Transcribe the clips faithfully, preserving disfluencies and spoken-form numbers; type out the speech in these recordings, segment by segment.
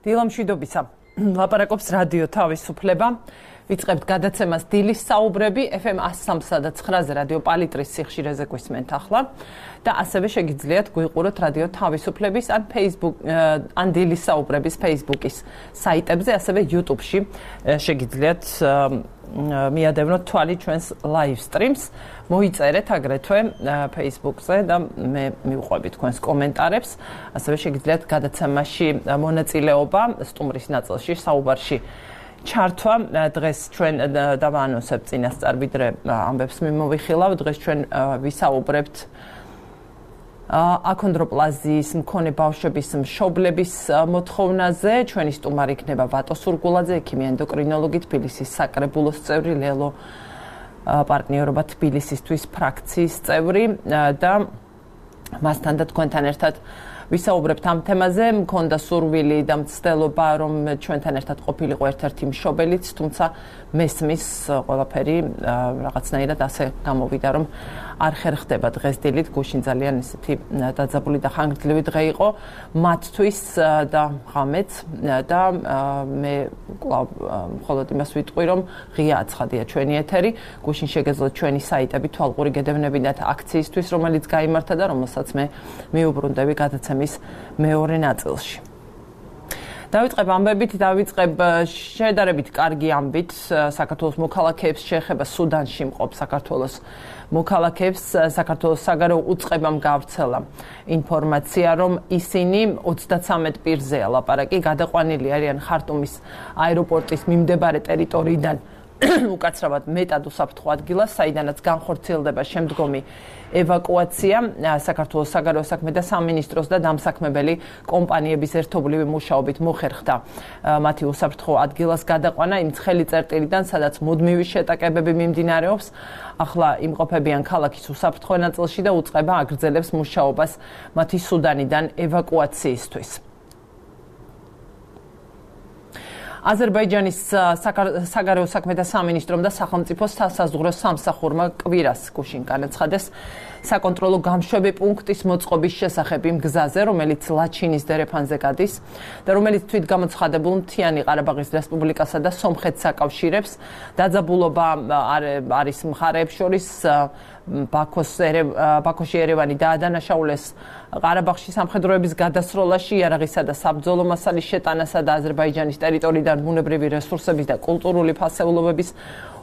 დილამშვიდობისა. ლაპარაკობს რადიო თავისუფლება. ვიწყებთ გადაცემას დილის საუბრები ეფ ემ one oh three და nine-ზე რადიო პალიტრის სიხშირეზე გვისმენთ ახლა და ასევე შეგიძლიათ გვიყუროთ რადიო თავისუფლების ან Facebook ან დილის საუბრების Facebook-ის საიტებზე, ასევე YouTube-ში შეგიძლიათ მიადევნოთ თვალი ჩვენს live streams. მოიწერეთ აგრეთვე Facebook-ზე და მე მივყვები თქვენს კომენტარებს. ასევე შეგიძლიათ გადაცემაში მონაწილეობა სტუმრის ნაწილში საუბარში ჩართვა. დღეს ჩვენ დავაანონსებთ წინასწარ, ვიდრე ამბებს მიმოვიხილავ. დღეს ჩვენ ვისაუბრებთ აქონდროპლაზიის მქონე ბავშვების მშობლების მოთხოვნაზე. ჩვენი სტუმარი იქნება ვატო სურგულაძე, ექიმი ენდოკრინოლოგი, თბილისის საკრებულოს წევრი, ლელო პარტნიორობა თბილისისთვის ფრაქციის წევრი და მასთან და თქვენთან ერთად ვისაუბრებთ ამ თემაზე. მქონდა სურვილი და მცდელობა, რომ ჩვენთან ერთად ყოფილიყო ერთ-ერთი მშობელიც, თუმცა მესმის ყველაფერი რაღაცნაირად ასე გამოვიდა, რომ არ ხერხდება დღეს დილით. გუშინ ძალიან ისეთი დაძაბული და ხანგრძლივი დღე იყო მათთვის და ღამეც და მე კვლავ მხოლოდ იმას ვიტყვი, რომ ღია აცხადია ჩვენი ეთერი. გუშინ შეგეძლოთ ჩვენი საიტები თვალყური გედევნებინათ აქციისთვის, რომელიც გაიმართა და რომელსაც მე მიუბრუნდები გადაცემის მეორე ნაწილში. დავიწყებ ამბებით, დავიწყებ შედარებით კარგი ამბით. საქართველოს მოქალაქეებს შეეხება სუდანში მყოფ საქართველოს მოქალაქეებს საქართველოს საგარეო უწყებამ გავრცელა ინფორმაცია, რომ ისინი ოცდათვრამეტ პირზეა ლაპარაკი, გადაყვანილი არიან ხარტუმის აეროპორტის მიმდებარე ტერიტორიიდან უკაცრავად მეტად უსაფრთხო ადგილას, საიდანაც განხორციელდება შემდგომი ევაკუაცია. საქართველოს საგარეო საქმეთა სამინისტროს და დამსაქმებელი კომპანიების ერთობლივი მუშაობით მოხერხდა მათი უსაფრთხო ადგილას გადაყვანა იმ ცხელი წერტილიდან, სადაც მუდმივი შეტაკებები მიმდინარეობს. ახლა იმყოფებიან ქალაქის უსაფრთხო ნაწილში და უწყება აგრძელებს მუშაობას მათი სუდანიდან ევაკუაციისთვის. აზერბაიჯანის საგარეო საქმეთა სამინისტრომ და სახელმწიფო სასაზღვრო სამსახურმა კვირას გუშინ განაცხადეს საკონტროლო გამშვები პუნქტის მოწყობის შესახებ იმ გზაზე, რომელიც ლაჩინის დერეფანზე გადის და რომელიც თვითგამოცხადებულ მთიანი ყარაბაღის რესპუბლიკასა და სომხეთს აკავშირებს. დაძაბულობა არის მხარეებს შორის. ბაქოში ერევანი დაადანაშაულეს ყარაბაღში სამხედროების გადასროლაში, იარაღისა და საბრძოლო მასალის შეტანასა და აზერბაიჯანის ტერიტორიიდან ბუნებრივი რესურსების და კულტურული ფასეულობების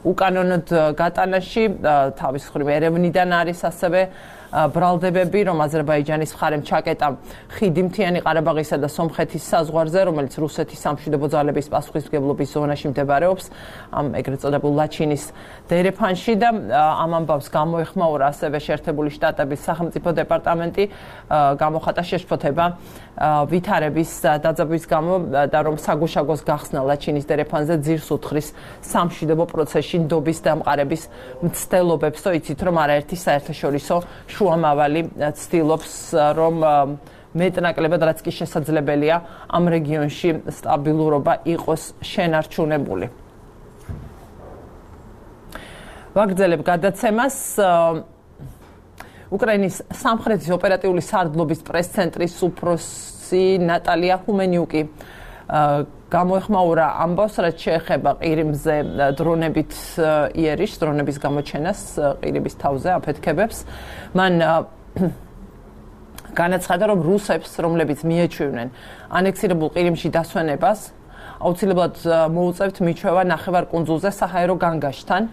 უკანონოდ გატანაში. თავის მხრივ ერევნიდან არის ასევე ბრალდებები, რომ აზერბაიჯანის მხარემ ჩაკეტა ხიდი მთიანი ყარაბაღისა და სომხეთის საზღვარზე, რომელიც რუსეთის სამშვიდობო ძალების პასუხისმგებლობის ზონაში მდებარეობს, ამ ეგრეთ წოდებულ ლაჩინის დერეფანში და ამ ამბავს გამოეხმაურა ასევე შეერთებული შტატების სახელმწიფო დეპარტამენტი, გამოხატა შეშფოთება ვითარების დაძაბვის გამო და რომ საგუშაგოს გახსნა ლაჩინის დერეფანზე ძირს უთხრის სამშვიდობო პროცესში ნდობის დამყარების მცდელობებს. იცით, რომ არაერთი საერთაშორისო შუამავალი ცდილობს, რომ მეტნაკლებად, რაც კი შესაძლებელია, ამ რეგიონში სტაბილურობა იყოს შენარჩუნებული. ვაგრძელებ გადაცემას. უკრაინის სამხრეთის ოპერატიული სარდლობის პრეს-ცენტრის უფროსი ნატალია ჰუმენიუკი გამოეხმაურა ამბავს, რაც შეეხება ყირიმზე დრონებით იერიშს, დრონების გამოჩენას ყირიმის თავზე აფეთქებებს. მან განაცხადა, რომ რუსებს, რომლებიც მიეჩვევნენ ანექსირებულ ყირიმში დასვენებას, აუცილებლად მოუწევთ მიჩვევა ნახევარკუნძულზე საჰაერო განგაშთან,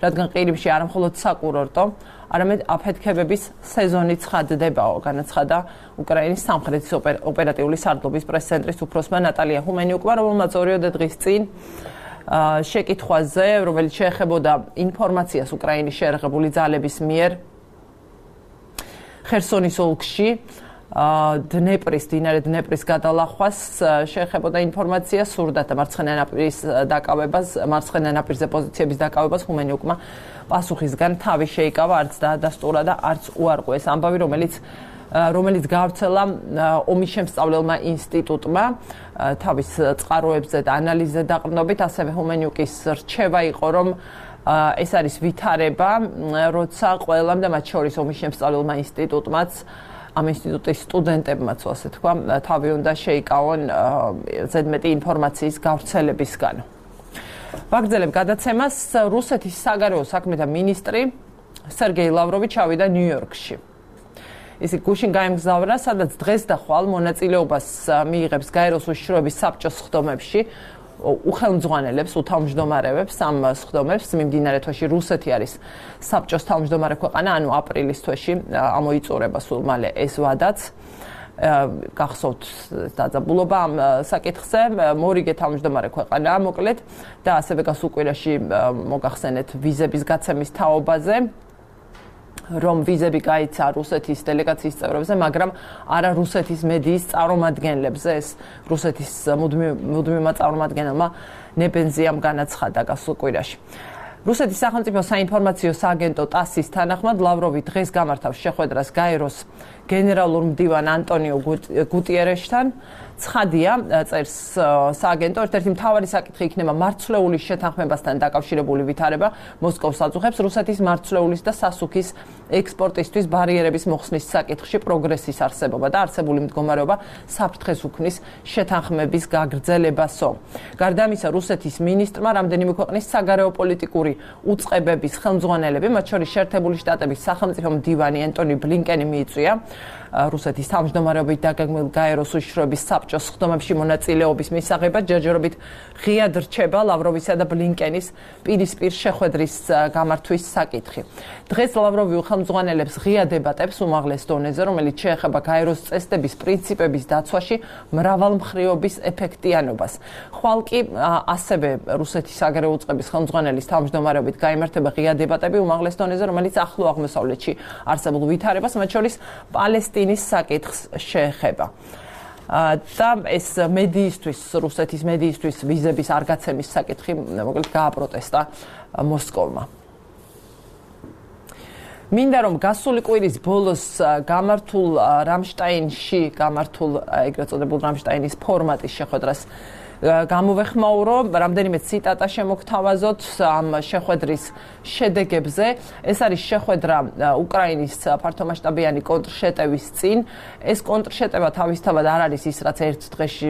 რადგან ყირიმში არა მხოლოდ საკურორტო, არამედ აფეთქებების სეზონი ცხადდებაო. განაცხადა უკრაინის სამხრეთის ოპერატიული სარდლობის პრეს-ცენტრის უფროსმა ნატალია ჰუმენიუკმა, რომელმაც ორიოდე დღის წინ შეკითხვაზე, რომელიც შეეხებოდა ინფორმაციას უკრაინის შეერაღებული ძალების მიერ ხერსონის ოლქში დნეპრის, დინარე დნეპრის გადალახვას შეეხებოდა ინფორმაცია, სურდა და მარცხენა ნაპირის დაკავებას, მარცხენა ნაპირზე პოზიციების დაკავებას ჰუმენიუკმა პასუხისგან თავი შეიკავა, არც დაადასტურა და არც უარყვეს ამბავი, რომელიც რომელიც გავრცელა ომის შემსწავლელმა ინსტიტუტმა თავის წყაროებზე და ანალიზზე დაყრდნობით. ასევე ჰუმენიუკის რჩევა იყო, რომ ეს არის ვითარება, როცა ყველამ და მათ შორის ომის შემსწავლელმა ინსტიტუტმაც ამ ინსტიტუტის სტუდენტებმაც, ასე თქვა, თავი უნდა შეიკავონ ზედმეტი ინფორმაციის გავრცელებისგან. ვაგრძელებ გადაცემას. რუსეთის საგარეო საქმეთა მინისტრი სერგეი ლავროვი ჩავიდა ნიუ-იორკში. ის გუშინ გაემგზავრა, სადაც დღეს და ხვალ მონაწილეობას მიიღებს გაეროს უშიშროების საბჭოს სხდომებში, უხელმძღვანელებს, უთავმჯდომარევებს ამ სხდომებს. მიმდინარე თვეში რუსეთი არის საბჭოს თავმჯდომარე ქვეყანა, ანუ აპრილის თვეში ამოიწურება სულ მალე ეს ვადაც. გახსოვთ დაძაბულობა ამ საკითხზე, მორიგე თავმჯდომარე ქვეყანაა მოკლედ და ასევე გასულ კვირაში მოგახსენეთ ვიზების გაცემის თაობაზე, რომ ვიზები გაიცა რუსეთის დელეგაციის წევრებზე, მაგრამ არა რუსეთის მედიის წარმომადგენლებზე. ეს რუსეთის მუდმივმა წარმომადგენელმა ნებენზიამ განაცხადა გასულ კვირაში. რუსეთის სახელმწიფო საინფორმაციო სააგენტო ტასის თანახმად ლავროვი დღეს გამართავს შეხვედრას გაეროს გენერალურ მდივან ანტონიო გუტიერეშთან. ცხადია, წერს სააგენტო, ერთ-ერთი მთავარი საკითხი იქნება მარცვლეულის შეთანხმებასთან დაკავშირებული ვითარება. მოსკოვს აწუხებს რუსეთის მარცვლეულის და სასუქის ექსპორტისთვის ბარიერების მოხსნის საკითხში პროგრესის არსებობა და არსებული მდგომარეობა საფრთხეს უქმნის შეთანხმების გაგრძელებასო. გარდა ამისა, რუსეთის მინისტრმა რამდენიმე ქვეყნის საგარეო პოლიტიკური უწყებების ხელმძღვანელები, მათ შორის შეერთებული შტატების სახელმწიფო მდივანი ენტონი ბლინკენი მიიწვია რუსეთის თავმჯდომარეობით დაგეგმილ გაეროს უშიშროების საბჭოს სხდომებში მონაწილეობის მისაღებად. ჯერჯერობით ღიად რჩება ლავროვისა და ბლინკენის პირისპირ შეხვედრის გამართვის საკითხი. დღეს ლავროვი ხელმძღვანელებს ღია დებატებს უმაღლეს დონეზე, რომელიც შეეხება გაეროს წესდების პრინციპების დაცვაში მრავალმხრივობის ეფექტიანობას. ხვალ კი ასევე რუსეთის საგარეო უწყების ხელმძღვანელის თავმჯდომარეობით გაიმართება ღია დებატები უმაღლეს დონეზე, რომელიც ახლო აღმოსავლეთში არსებულ ვითარებას, მათ შორის პალესტინის საკითხს შეეხება. და ეს მედიისთვის, რუსეთის მედიისთვის ვიზების არ გაცემის საკითხი მოკლედ გააპროტესტა მოსკოვმა. მინდა რომ გასული კვირის ბოლოს გამართულ რამშტაინში, გამართულ ეგრეთ წოდებულ რამშტაინის ფორმატის შეხვედრას გამოვეხმაურო, რამდენიმე ციტატა შემოგთავაზოთ ამ შეხვედრის შედეგებზე. ეს არის შეხვედრა უკრაინის ფართომასშტაბიანი კონტრშეტევის წინ. ეს კონტრშეტევა თავისთავად არ არის ის, რაც ერთ დღეში,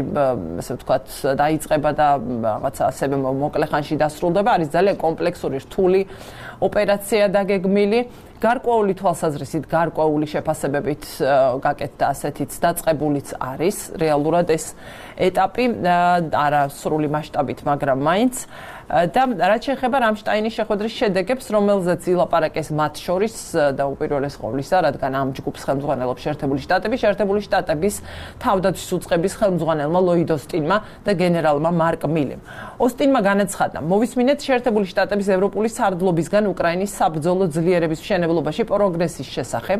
ასე ვთქვათ, დაიწყება და რაღაცა ასევე მოკლე ხანში დასრულდება. არის ძალიან კომპლექსური, რთული ოპერაცია დაგეგმილი. გარკვეული თვალსაზრისით, გარკვეული შეფასებებით გაკეთდა ასეთიც დაწყებულიც არის რეალურად ეს ეტაპი, არა სრული მასშტაბით, მაგრამ მაინც. და რაც შეეხება რამშტაინის შეხვედრის შედეგებს, რომელზეც ილაპარაკეს მათ შორის და უპირველეს ყოვლისა, რადგან ამ ჯგუფს ხელმძღვანელობს შეერთებული შტატები, შეერთებული შტატების თავდაცვის უწყების ხელმძღვანელმა ლოიდ ოსტინმა და გენერალმა მარკ მილემ. ოსტინმა განაცხადა, მოვისმინეთ შეერთებული შტატების ევროპული სარდლობისგან უკრაინის საბრძოლო ძლიერების მშენებლობაში პროგრესის შესახებ,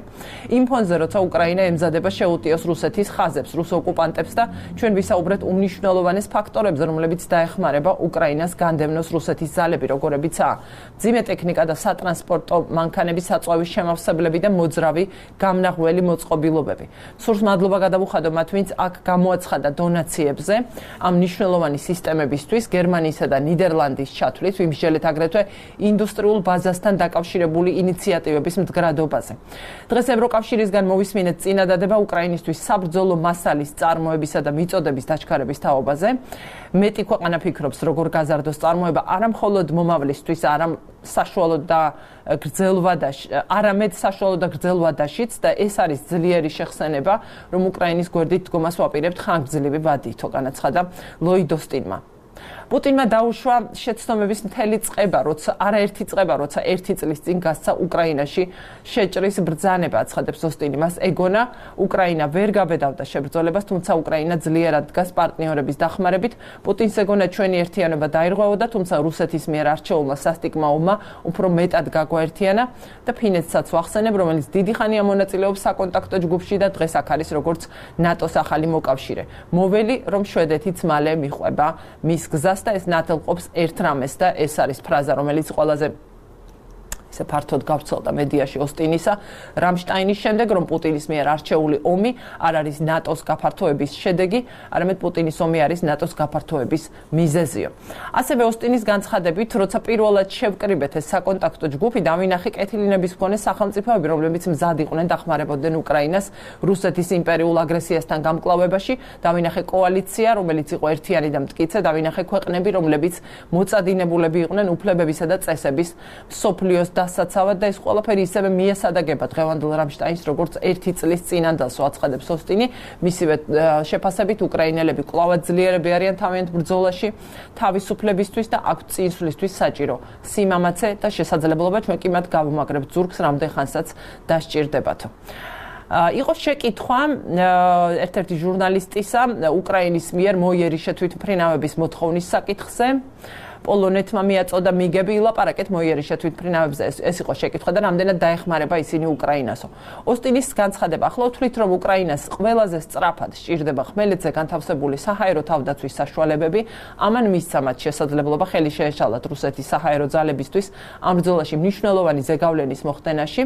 იმ ფონზე, როცა უკრაინა ემზადება შეუტიოს რუსეთის ხაზებს, რუს ოკუპანტებს და ჩვენ ვისაუბრეთ უმნიშვნელოვანეს ფაქტორებზე, რომლებიც დაეხმარება უკრაინას განდევნოს რუსეთის ძალები, როგორებიცაა მძიმე ტექნიკა და სატრანსპორტო მანქანების საწვავის შემავსებლები და მოძრავი გამნაღველი მოწყობილობები. სურს მადლობა გადავუხადო მათ, ვინც აქ გამოაცხადა დონაციებზე ამ მნიშვნელოვანი სისტემებისთვის, გერმანიისა და ნიდერლანდის ჩათვლით, ვიმსჯელეთ აგრეთვე ინდუსტრიულ ბაზასთან დაკავშირებული ინიციატივების მდგრადობაზე. დღეს ევროკავშირისგან მოვისმინეთ წინადადება უკრაინისთვის საბრძოლო მასალის წარმოებისა და მიწოდების დაჩქარების თაობაზე. მეტი ქვეყანა ფიქრობს, როგორ გაზარდოს წარმოება არა მხოლოდ მომავლისთვის, არა საშუალო და გრძელვადაში, არამედ საშუალო და გრძელვადაშიც და ეს არის ძლიერი შეხსენება, რომ უკრაინის გვერდით დგომას ვაპირებთ ხანგრძლივი ვადითო, განაცხადა ლოიდ ოსტინმა. პუტინმა დაუშვა შეცდომების მთელი წყება, როცა არაერთი წყება, როცა ერთი წლის წინ გასცა უკრაინაში შეჭრის ბრძანება, აცხადებს ოსტინი. მას ეგონა, უკრაინა ვერ გაბედავდა შებრძოლებას, თუმცა უკრაინა ძლიერად დგას პარტნიორების დახმარებით. პუტინს ეგონა, ჩვენი ერთიანობა დაირღვეოდა, თუმცა რუსეთის მიერ არჩეულმა სასტიკმა ომმა უფრო მეტად გაგვაერთიანა და ფინეთსაც ვახსენებ, რომელიც დიდი ხანია მონაწილეობს საკონტაქტო ჯგუფში და დღეს აქ არის როგორც ნატოს ახალი მოკავშირე. მოველი, რომ შვედეთიც მალე მიხვება მის გზას და ეს ნათელყოფს ერთ რამეს და ეს არის ფრაზა, რომელიც ყველაზე ისე ფართოდ გავრცელდა მედიაში ოსტინისა რამშტაინის შემდეგ, რომ პუტინის მიერ არჩეული ომი არ არის ნატოს გაფართოების შედეგი, არამედ პუტინის ომი არის ნატოს გაფართოების მიზეზიო. ასევე ოსტინის განცხადებით, როცა პირველად შევკრიბეთ ეს საკონტაქტო ჯგუფი, დავინახე კეთილინების მქონე სახელმწიფოები, რომლებიც მზად იყვნენ დახმარებოდნენ უკრაინას რუსეთის იმპერიულ აგრესიასთან გამკლავებაში, დავინახე კოალიცია, რომელიც იყო ერთიანი და მტკიცე, დავინახე ქვეყნები, რომლებიც მოწადინებულები იყვნენ უფლებებისა და წესების მსოფლიოს დასაცავად და ეს ყველაფერი ისევე მიესადაგება დღევანდელ რამშტაინს, როგორც ერთი წლის წინანდელს აცხადებს ოსტინი, მისივე შეფასებით უკრაინელები კვლავ ძლიერები არიან თავიანთ ბრძოლაში თავისუფლებისთვის და აქვთ წინსვლისთვის საჭირო სიმამაცე და შესაძლებლობა ჩვენ კი მათ გავუმაგრებთ ზურგს რამდენ ხანსაც დასჭირდებათო. იყო შეკითხვა ერთ-ერთი ჟურნალისტისა უკრაინის მიერ მოიერიშე თვითმფრინავების მოთხოვნის საკითხზე. პოლონეთმა მიაწოდა მიგები ილაპარაკეთ მოიერიშე თვითმფრინავებზე, ეს იყო შეკითხვა და რამდენად დაეხმარება ისინი უკრაინასო. ოსტინის განცხადება ახლა ვთვლით, რომ უკრაინას ყველაზე სწრაფად სჭირდება ხმელეთზე განთავსებული საჰაერო თავდაცვის საშუალებები, ამან მისცა მათ შესაძლებლობა ხელი შეეშალათ რუსეთის საჰაერო ძალებისთვის ამ ბრძოლაში მნიშვნელოვანი ზეგავლენის მოხდენაში.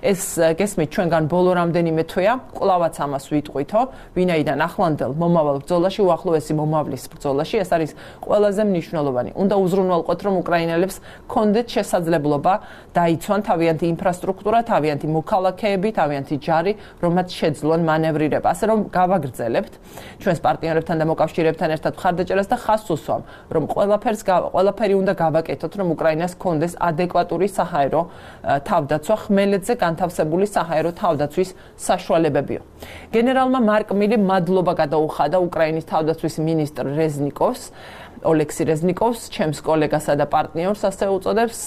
ეს გესმით ჩვენგან ბოლო რამდენიმე თვეა, კვლავაც ამას ვიტყვითო, ვინაიდან ახლანდელ მომავალ ბრძოლაში, უახლოესი მომავლის ბრძოლაში ეს არის ყველაზე მნიშვნელოვანი. უნდა უზრუნველყოთ, რომ უკრაინელებს კონდეთ შესაძლებლობა დაიცვან თავიანთი ინფრასტრუქტურა, თავიანთი მოქალაქეები, თავიანთი ჯარი, რომ მათ შეძლონ მანევრირება. ასე რომ გავაგრძელებთ ჩვენს პარტნიორებთან და მოკავშირეებთან ერთად მხარდაჭერას და ხაზს უსვამ, რომ ყველაფერს ყველაფერი უნდა გავაკეთოთ, რომ უკრაინას კონდეს ადეკვატური საჰაერო თავდაცვა, ხმელეთზე განთავსებული საჰაერო თავდაცვის საშუალებებიო. გენერალმა მარკ მილი მადლობა გადაუხადა უკრაინის თავდაცვის მინისტრ რეზნიკოვს, ოლექსი რეზნიკოვს, ჩემს კოლეგასა და პარტნიორს, ასე უწოდებს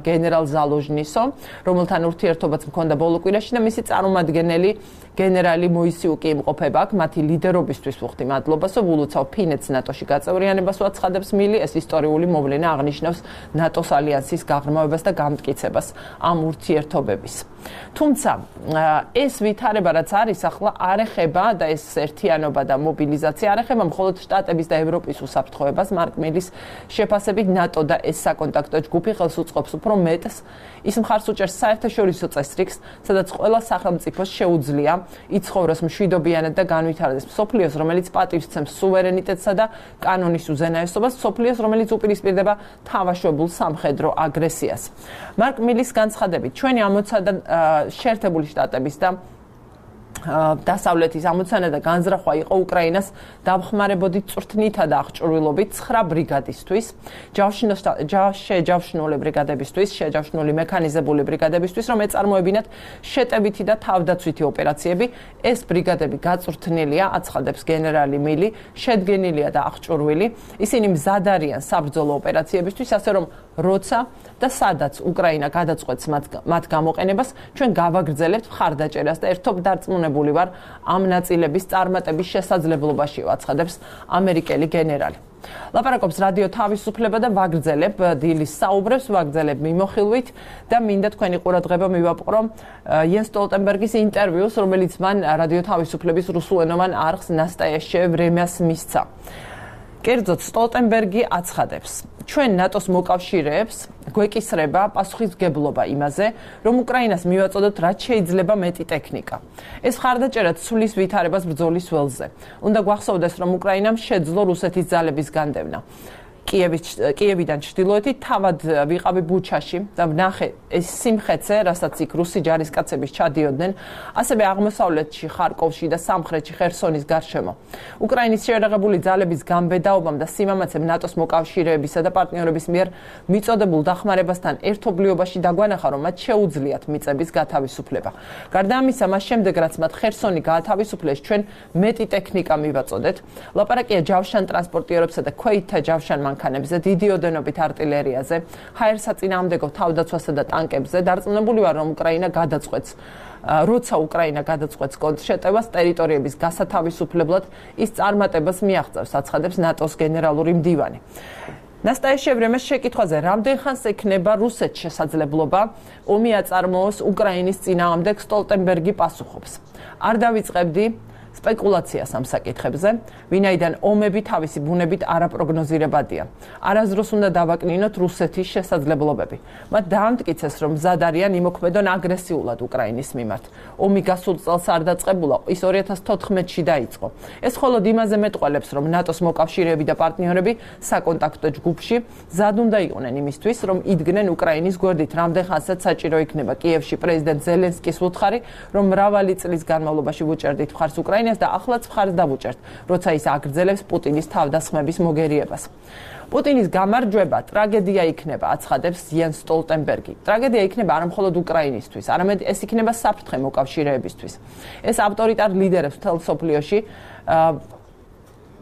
გენერალ ზალოჟნისო, რომელთან ურთიერთობაც მქონდა ბოლო კვირაში და მისი წარმომადგენელი გენერალი მოისიუკი იმყოფება აქ, მათი ლიდერობისთვის ვუხდი მადლობასო, ვულოცავ ფინეთს ნატოში გაწევრიანებას უაცხადებს მილი, ეს ისტორიული მოვლენა აღნიშნავს ნატოს ალიანსის გაღრმავებას და გამტკიცებას ამ ურთიერთობების. თუმცა ეს ვითარება რაც არის ახლა არ ეხება და ეს ერთიანობა და მობილიზაცია არ ეხება მხოლოდ შტატების და ევროპის უსაფრთხოებას, მარკ მილის შეფასებით ნატო და ეს საკონტაქტო ჯგუფი ხელს უწყობს უფრო მეტს, ის მხარს უჭერს საერთაშორისო წესრიგს, სადაც ყველა სახელმწიფოს შეუძლია იცხოვროს მშვიდობიანად და განვითარდეს მსოფლიოს, რომელიც პატივს ცემს სუვერენიტეტსა და კანონის უზენაესობას, მსოფლიოს, რომელიც უპირისპირდება თავაშვებულ სამხედრო აგრესიას. მარკ მილის განცხადებით, ჩვენი ამოცანა შეერთებული შტატების და დასავლეთის ამოცანა და განზრახვა იყო უკრაინას დამხმარებოდით წვრთნითა და აღჭურვილობით ცხრა ბრიგადისთვის, შეჯავშნული ბრიგადებისთვის, შეჯავშნული მექანიზებული ბრიგადებისთვის, რომ ეწარმოებინათ შეტევითი და თავდაცვითი ოპერაციები. ეს ბრიგადები გაწვრთნილია, აცხადებს გენერალი მილი, შედგენილია და აღჭურვილი. ისინი მზად არიან საბრძოლო ოპერაციებისთვის, ასე რომ როცა და სადაც უკრაინა გადაწყვეტს მათ გამოყენებას, ჩვენ გავაგრძელებთ მხარდაჭერას და ერთობ დარწმუნებული ვარ ამ ნაწილების წარმატების შესაძლებლობაში, აცხადებს ამერიკელი გენერალი. ლაპარაკობს რადიო თავისუფლება და ვაგრძელებ დილის საუბრებს, ვაგრძელებ მიმოხილვით და მინდა თქვენი ყურადღება მივაპყრო იენს სტოლტენბერგის ინტერვიუს, რომელიც მან რადიო თავისუფლების რუსულენოვან არხს ნასტაიაშე ვრემიას მისცა. კერძოდ სტოლტენბერგი აცხადებს, ჩვენ ნატოს მოკავშირეებს გვეკისრება პასუხისმგებლობა იმაზე, რომ უკრაინას მივაწოდოთ რაც შეიძლება მეტი ტექნიკა. ეს მხარდაჭერა ცვლის ვითარებას ბრძოლის ველზე. უნდა გვახსოვდეს, რომ უკრაინამ შეძლო რუსეთის ძალების განდევნა. კიევიდან ჩრდილოეთით თავად ვიყავი ბუჩაში და ვნახე ეს სიმხეცე, რასაც იქ რუსი ჯარისკაცები ჩადიოდნენ, ასევე აღმოსავლეთში, ხარკოვში და სამხრეთში ხერსონის გარშემო. უკრაინის შეერაღებული ძალების გამბედაობამ და სიმამაცემ ნატოს მოკავშირეებისა და პარტნიორების მიერ მიწოდებულ დახმარებასთან ერთობლიობაში დაგვანახა, რომ მათ შეუძლიათ მიწების გათავისუფლება. გარდა ამისა, მას შემდეგ რაც მათ ხერსონი გაათავისუფლეს, ჩვენ მეტი ტექნიკა მივაწოდეთ. ლაპარაკია ჯავშან ტრანსპორტიორებსა და ქვეითთა ჯავშან მანქანებზე, დიდი ოდენობით არტილერიაზე, ჰაერსაწინააღმდეგო თავდაცვასა და ტანკებზე. დარწმუნებული ვარ, რომ უკრაინა გადაწყვეტს, როცა უკრაინა გადაწყვეტს კონტრშეტევას ტერიტორიების გასათავისუფლებლად, ის წარმატებას მიაღწევს, აცხადებს ნატოს გენერალური მდივანი. ნასტაიაშე ვრემიას შეკითხვაზე, რამდენ ხანს ექნება რუსეთს შესაძლებლობა ომი აწარმოოს უკრაინის წინააღმდეგ, სტოლტენბერგი პასუხობს. არ დავიწყებდი სპეკულაციას ამ საკითხებზე, ვინაიდან ომები თავისი ბუნებით არაპროგნოზირებადია. არასდროს უნდა დავაკნინოთ რუსეთის შესაძლებლობები. მათ დაამტკიცეს, რომ მზად არიან იმოქმედონ აგრესიულად უკრაინის მიმართ. ომი გასულ წელს არ დაწყებულა, ის ორი ათას თოთხმეტში დაიწყო. ეს მხოლოდ იმაზე მეტყველებს, რომ ნატოს მოკავშირეები და პარტნიორები საკონტაქტო ჯგუფში მზად უნდა იყვნენ იმისთვის, რომ იდგნენ უკრაინის გვერდით, რამდენ ხანსაც საჭირო იქნება. კიევში პრეზიდენტ ზელენსკის უთხარი, რომ მრავალი წლის განმავლობაში ვუჭერდით მხარს უკრაინას და ახლაც მხარს დავუჭერთ, როცა ის აგრძელებს პუტინის თავდასხმების მოგერიებას. პუტინის გამარჯვება ტრაგედია იქნება, აცხადებს იენს სტოლტენბერგი. ტრაგედია იქნება არა მხოლოდ უკრაინისთვის, არამედ ეს იქნება საფრთხე მოკავშირეებისთვის. ეს ავტორიტარ ლიდერებს მთელ მსოფლიოში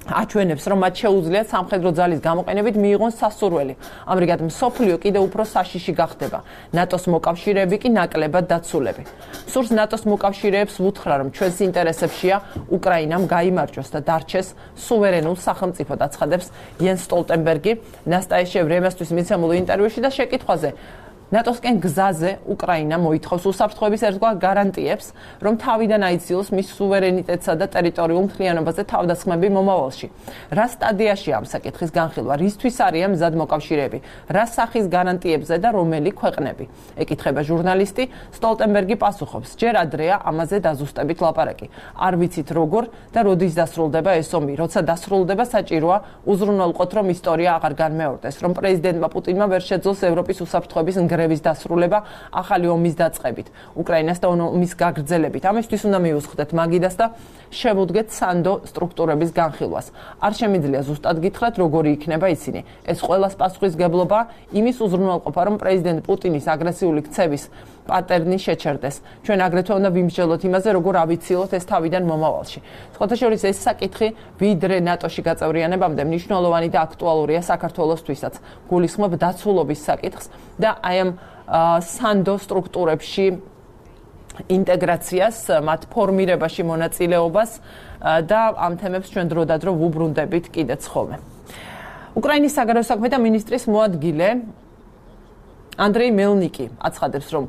აჩვენებს, რომ მათ შეუძლიათ სამხედრო ძალის გამოყენებით მიიღონ სასურველი. ამრიგად, მსოფლიო კიდევ უფრო საშიში გახდება. ნატოს მოკავშირეები კი ნაკლებად დაცულები. სურს ნატოს მოკავშირეებს ვუთხრა, რომ ჩვენს ინტერესებშია უკრაინამ გაიმარჯვოს და დარჩეს სუვერენულ სახელმწიფოდ, აცხადებს იენს სტოლტენბერგი ნასტაია ვრემესთვის მიცემულ ინტერვიუში და შეკითხვაზე ნატოსკენ გზაზე უკრაინა მოითხოვს უსაფრთხოების ერთგვარ გარანტიებს, რომ თავიდან აიძულოს მის სუვერენიტეტსა და ტერიტორიულ მთლიანობაზე თავდასხმები მომავალში. რა სტადიაშია ამ საკითხის განხილვა, რისთვის არიან მზად მოკავშირეები, რა სახის გარანტიებზე და რომელი ქვეყნები? ეკითხება ჟურნალისტი, სტოლტენბერგი პასუხობს: ჯერ ადრეა ამაზე დაზუსტებით ლაპარაკი. არ ვიცით როგორ და როდის დასრულდება ეს ომი. როცა დასრულდება, საჭიროა უზრუნველყოთ, რომ ისტორია აღარ განმეორდეს, რომ პრეზიდენტმა პუტინმა ვერ შეძლოს ევროპის უსაფრთხოების ნგრევის დასრულება ახალი ომის დაწყებით, უკრაინას და ომის გაგრძელებით. ამისთვის უნდა მიუსხდეთ მაგიდას და შევუდგეთ სანდო სტრუქტურების განხილვას. არ შემიძლია ზუსტად გითხრათ, როგორი იქნება ისინი. ეს ყველას პასუხისგებლობა იმის უზრუნველყოფა, რომ პრეზიდენტ პუტინის აგრესიული ქცევის პატერნი შეჩერდეს. ჩვენ აგრეთვე უნდა ვიმსჯელოთ იმაზე, როგორ ავიცილოთ ეს თავიდან მომავალში. სხვათა შორის ეს საკითხი ვიდრე ნატოში გაწევრიანებამდე მნიშვნელოვანი და აქტუალურია საქართველოსთვისაც. გულისხმობ დაცულობის საკითხს და აი ამ სანდო სტრუქტურებში ინტეგრაციას, მათ ფორმირებაში მონაწილეობას და ამ თემებს ჩვენ დროდადრო ვუბრუნდებით კიდეც ხოლმე. უკრაინის საგარეო საქმეთა მინისტრის მოადგილე ანდრეი მელნიკი აცხადებს, რომ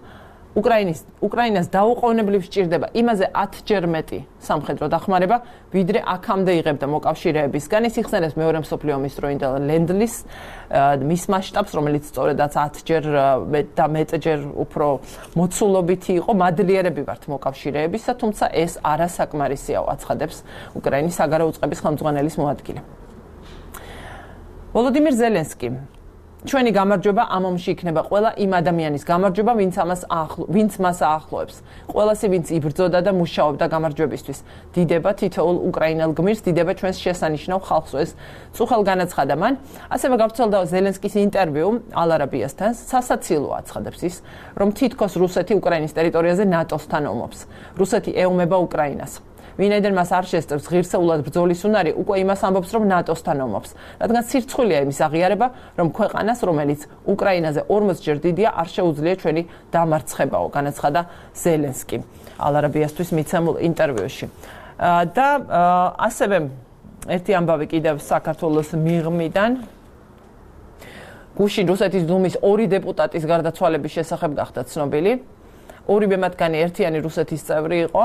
უკრაინის უკრაინას დაუყოვნებლივ სჭირდება იმაზე ათჯერ მეტი სამხედრო დახმარება, ვიდრე აქამდე იღებდა მოკავშირეებისგან. ის იხსენებს მეორე მსოფლიო ომის დროინდელ ლენდ-ლიზ მის მასშტაბს, რომელიც სწორედაც ათჯერ და მეტჯერ უფრო მოცულობითი იყო. მადლიერები ვართ მოკავშირეებისა, თუმცა ეს არასაკმარისია, აცხადებს უკრაინის საგარეო უწყების ხელმძღვანელის მოადგილე. ვოლოდიმირ ზელენსკი: ჩვენი გამარჯვება ამ ომში იქნება ყველა იმ ადამიანის გამარჯვება, ვინც ამას ვინც მას აახლოებს. ყველასი, ვინც იბრძოდა და მუშაობდა გამარჯვებისთვის. დიდება თითოეულ უკრაინელ გმირს, დიდება ჩვენს შესანიშნავ ხალხს. ეს წუხელ განაცხადა მან. ასევე გავრცელდა ზელენსკის ინტერვიუ ალ არაბიასთან. სასაცილოა, აცხადებს ის, რომ თითქოს რუსეთი უკრაინის ტერიტორიაზე ნატოსთან ომობს. რუსეთი ეომება უკრაინას. ვინაიდან მას არ შესწევს ღირსეულად ბრძოლის უნარი, უკვე იმას ამბობს, რომ ნატოსთან ომობს. რადგან სირცხვილია იმის აღიარება, რომ ქვეყანას, რომელიც უკრაინაზე ორმოცჯერ დიდია, არ შეუძლია ჩვენი დამარცხებაო, განაცხადა ზელენსკი ალ არაბიასთვის მიცემულ ინტერვიუში. და ასევე ერთი ამბავი კიდევ საქართველოს მიღმიდან. გუშინ რუსეთის დუმის ორი დეპუტატის გარდაცვალების შესახებ გახდა ცნობილი. ორივე მათგანი ერთიანი რუსეთის წევრი იყო.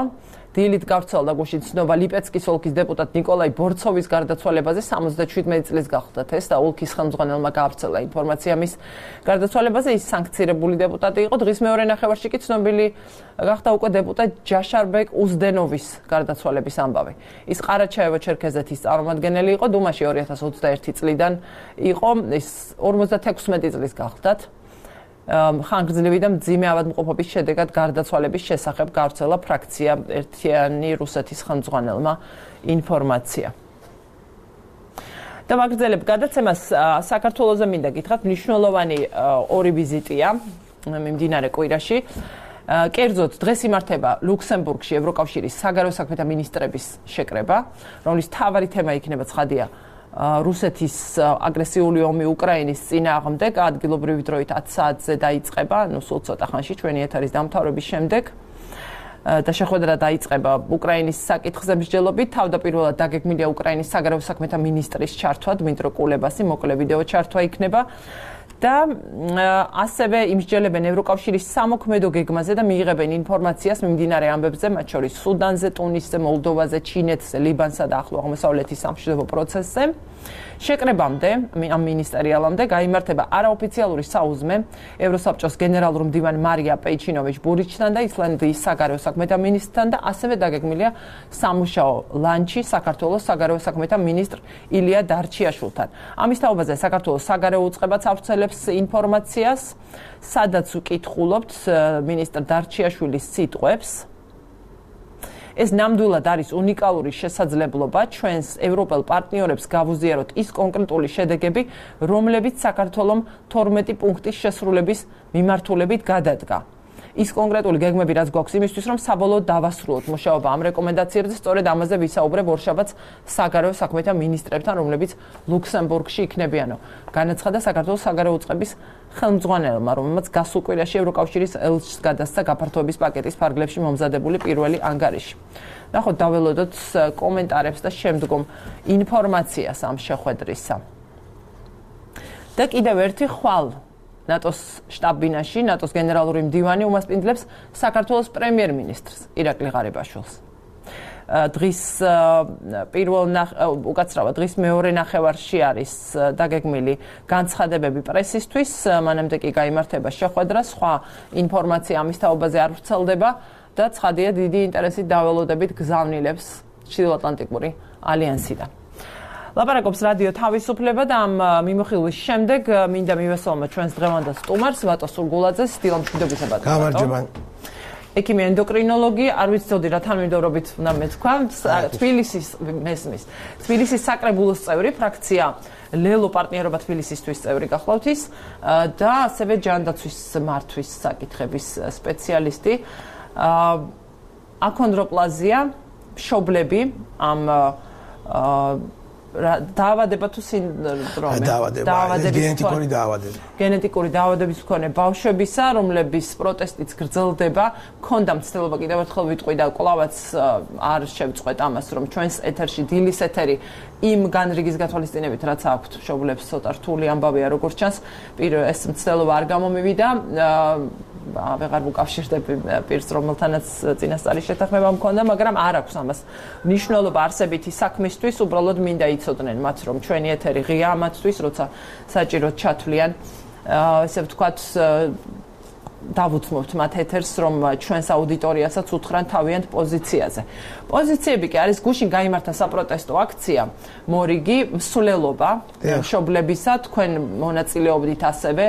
დილით გავრცელდა გუშინ ცნობა ლიპეცკის ოლქის დეპუტატ ნიკოლაი ბორცოვის გარდაცვალებაზე. სამოცდაშვიდმეტი წლის გახლდათ ეს და ოლქის ხელმძღვანელმა გაავრცელა ინფორმაცია მის გარდაცვალებაზე. ის სანქცირებული დეპუტატი იყო. დღის მეორე ნახევარში კი ცნობილი გახდა უკვე დეპუტატ ჯაშარბეკ უზდენოვის გარდაცვალების ამბავი. ის ყარაჩაევო-ჩერქეზეთის წარმომადგენელი იყო. დუმაში ორი ათას ოცდაერთი წლიდან იყო. ის ორმოცდათექვსმეტი წლის გახლდათ. ხანგრძლივი და მძიმე ავადმყოფობის შედეგად გარდაცვალების შესახებ გავრცელა ფრაქცია ერთიანი რუსეთის ხელმძღვანელმა ინფორმაცია. და მაგრძელებ გადაცემას საქართველოზე მინდა გითხრათ, მნიშვნელოვანი ორი ვიზიტია მიმდინარე კვირაში. კერძოდ დღეს იმართება ლუქსემბურგში ევროკავშირის საგარეო საქმეთა მინისტრების შეკრება, რომლის მთავარი თემა იქნება ცხადია რუსეთის აგრესიული ომი უკრაინის წინააღმდეგ. ადგილობრივი დროით ათი საათზე დაიწყება, ნუ სულ ცოტა ხანში ჩვენი ეთერის დამთავრების შემდეგ და შეხვედრა დაიწყება უკრაინის საკითხზე მსჯელობით. თავდაპირველად დაგეგმილია უკრაინის საგარეო საქმეთა მინისტრის ჩართვა, დმიტრო კულებასი, მოკლე ვიდეო ჩართვა იქნება და ასევე იმსჯელებენ ევროკავშირის სამოქმედო გეგმაზე და მიიღებენ ინფორმაციას მიმდინარე ამბებზე, მათ შორის სუდანზე, ტუნისზე, მოლდოვაზე, ჩინეთზე, ლიბანსა და ახლო აღმოსავლეთის სამშვიდობო პროცესზე. შეკრებამდე ამ მინისტერიალამდე გაიმართება არაოფიციალური საუზმე ევროსაბჭოს გენერალურ მდივანი მარია პეიჩინოვიჩ ბურიჩთან და ისლანდიის საგარეო საქმეთა მინისტრთან და ასევე დაგეგმილია სამუშაო ლანჩი საქართველოს საგარეო საქმეთა მინისტრ ილია დარჩიაშვილთან. ამის თაობაზე საქართველოს საგარეო უწყებაც ავრცელებს ინფორმაციას, სადაც უკითხულობთ მინისტრ დარჩიაშვილის სიტყვებს. ეს ნამდვილად არის უნიკალური შესაძლებლობა ჩვენს ევროპელ პარტნიორებს გავუზიაროთ ის კონკრეტული შედეგები, რომლებიც საქართველოს თორმეტი პუნქტის შესრულების მიმართულებით გადადგა. ის კონკრეტული გეგმები რაც გვაქვს იმისთვის, რომ საბოლოოდ დავასრულოთ მუშაობა ამ რეკომენდაციებზე, სწორედ ამაზე ვისაუბრებ ორშაბათს საგარეო საქმეთა მინისტრებთან, რომლებიც ლუქსემბურგში იქნებიანო. განაცხადა საქართველოს საგარეო უწყების ხელმძღვანელმა, რომელმაც გასულ კვირაში ევროკავშირის ელჩს გადასცა გაფართოების პაკეტის ფარგლებში მომზადებული პირველი ანგარიში. ნახოთ, დაველოდოთ კომენტარებს და შემდგომ ინფორმაციას ამ შეხვედრისა. და კიდევ ერთი ხვალ ნატოს შტაბ-ბინაში ნატოს გენერალური მდივანი უმასპინძლებს საქართველოს პრემიერ-მინისტრს ირაკლი ღარიბაშვილს. დღის პირველ უკაცრავად დღის მეორე ნახევარში არის დაგეგმილი განცხადებები პრესისთვის, მანამდე კი გაიმართება შეხვედრა, სხვა ინფორმაცია ამის თაობაზე არ ვრცელდება და ცხადია დიდი ინტერესით დაველოდებით გზავნილებს ჩრდილოატლანტიკური ალიანსიდან. ლაპარაკობს რადიო თავისუფლება და ამ მიმოხილვის შემდეგ მინდა მივესალმო ჩვენს დღევანდელ სტუმარს ვატო სურგულაძეს, დილამშვიდობისა ბატონო. გამარჯობა. ექიმი ენდოკრინოლოგი, არ ვიცოდი რა თანმიმდევრობით უნდა მეთქვა, თბილისის მესმის. თბილისის საკრებულოს წევრი, ფრაქცია ლელო პარტნიორობა თბილისისთვის წევრი გახლავთ ის და ასევე ჯანდაცვის მართვის საკითხების სპეციალისტი. აქონდროპლაზია, მშობლები ამ დაავადება თუ სინდრომი დაავადება გენეტიკური დაავადება გენეტიკური დაავადების მქონე ბავშვებისა, რომლების პროტესტიც გრძელდება, მქონდა მცდელობა კიდევ ერთხელ ვიტყვი და კვლავაც არ შევწყვეტ ამას, რომ ჩვენს ეთერში დილის ეთერი იმ განრიგის გათვალისწინებით, რაც აქვთ მშობლებს, ცოტა რთული ამბავია, როგორც ჩანს, ეს მცდელობა არ გამომივიდა, ვეღარ მოკავშირდები პირს, რომელთანაც წინასწარი შეთანხმება მქონდა, მაგრამ არ აქვს ამას მნიშვნელობა არსებითი საქმისთვის, უბრალოდ მინდა იცოდნენ მათ, რომ ჩვენი ეთერი ღია მათთვის, როცა საჭიროდ ჩათვლიან, ესე ვთქვათ, დავუთმობთ მათ ეთერს, რომ ჩვენს აუდიტორიასაც უთხრან თავიანთ პოზიციაზე. პოზიციები კი არის გუშინ გაიმართა საპროტესტო აქცია, მორიგი მსვლელობა მშობლებისა, თქვენ მონაწილეობდით ასევე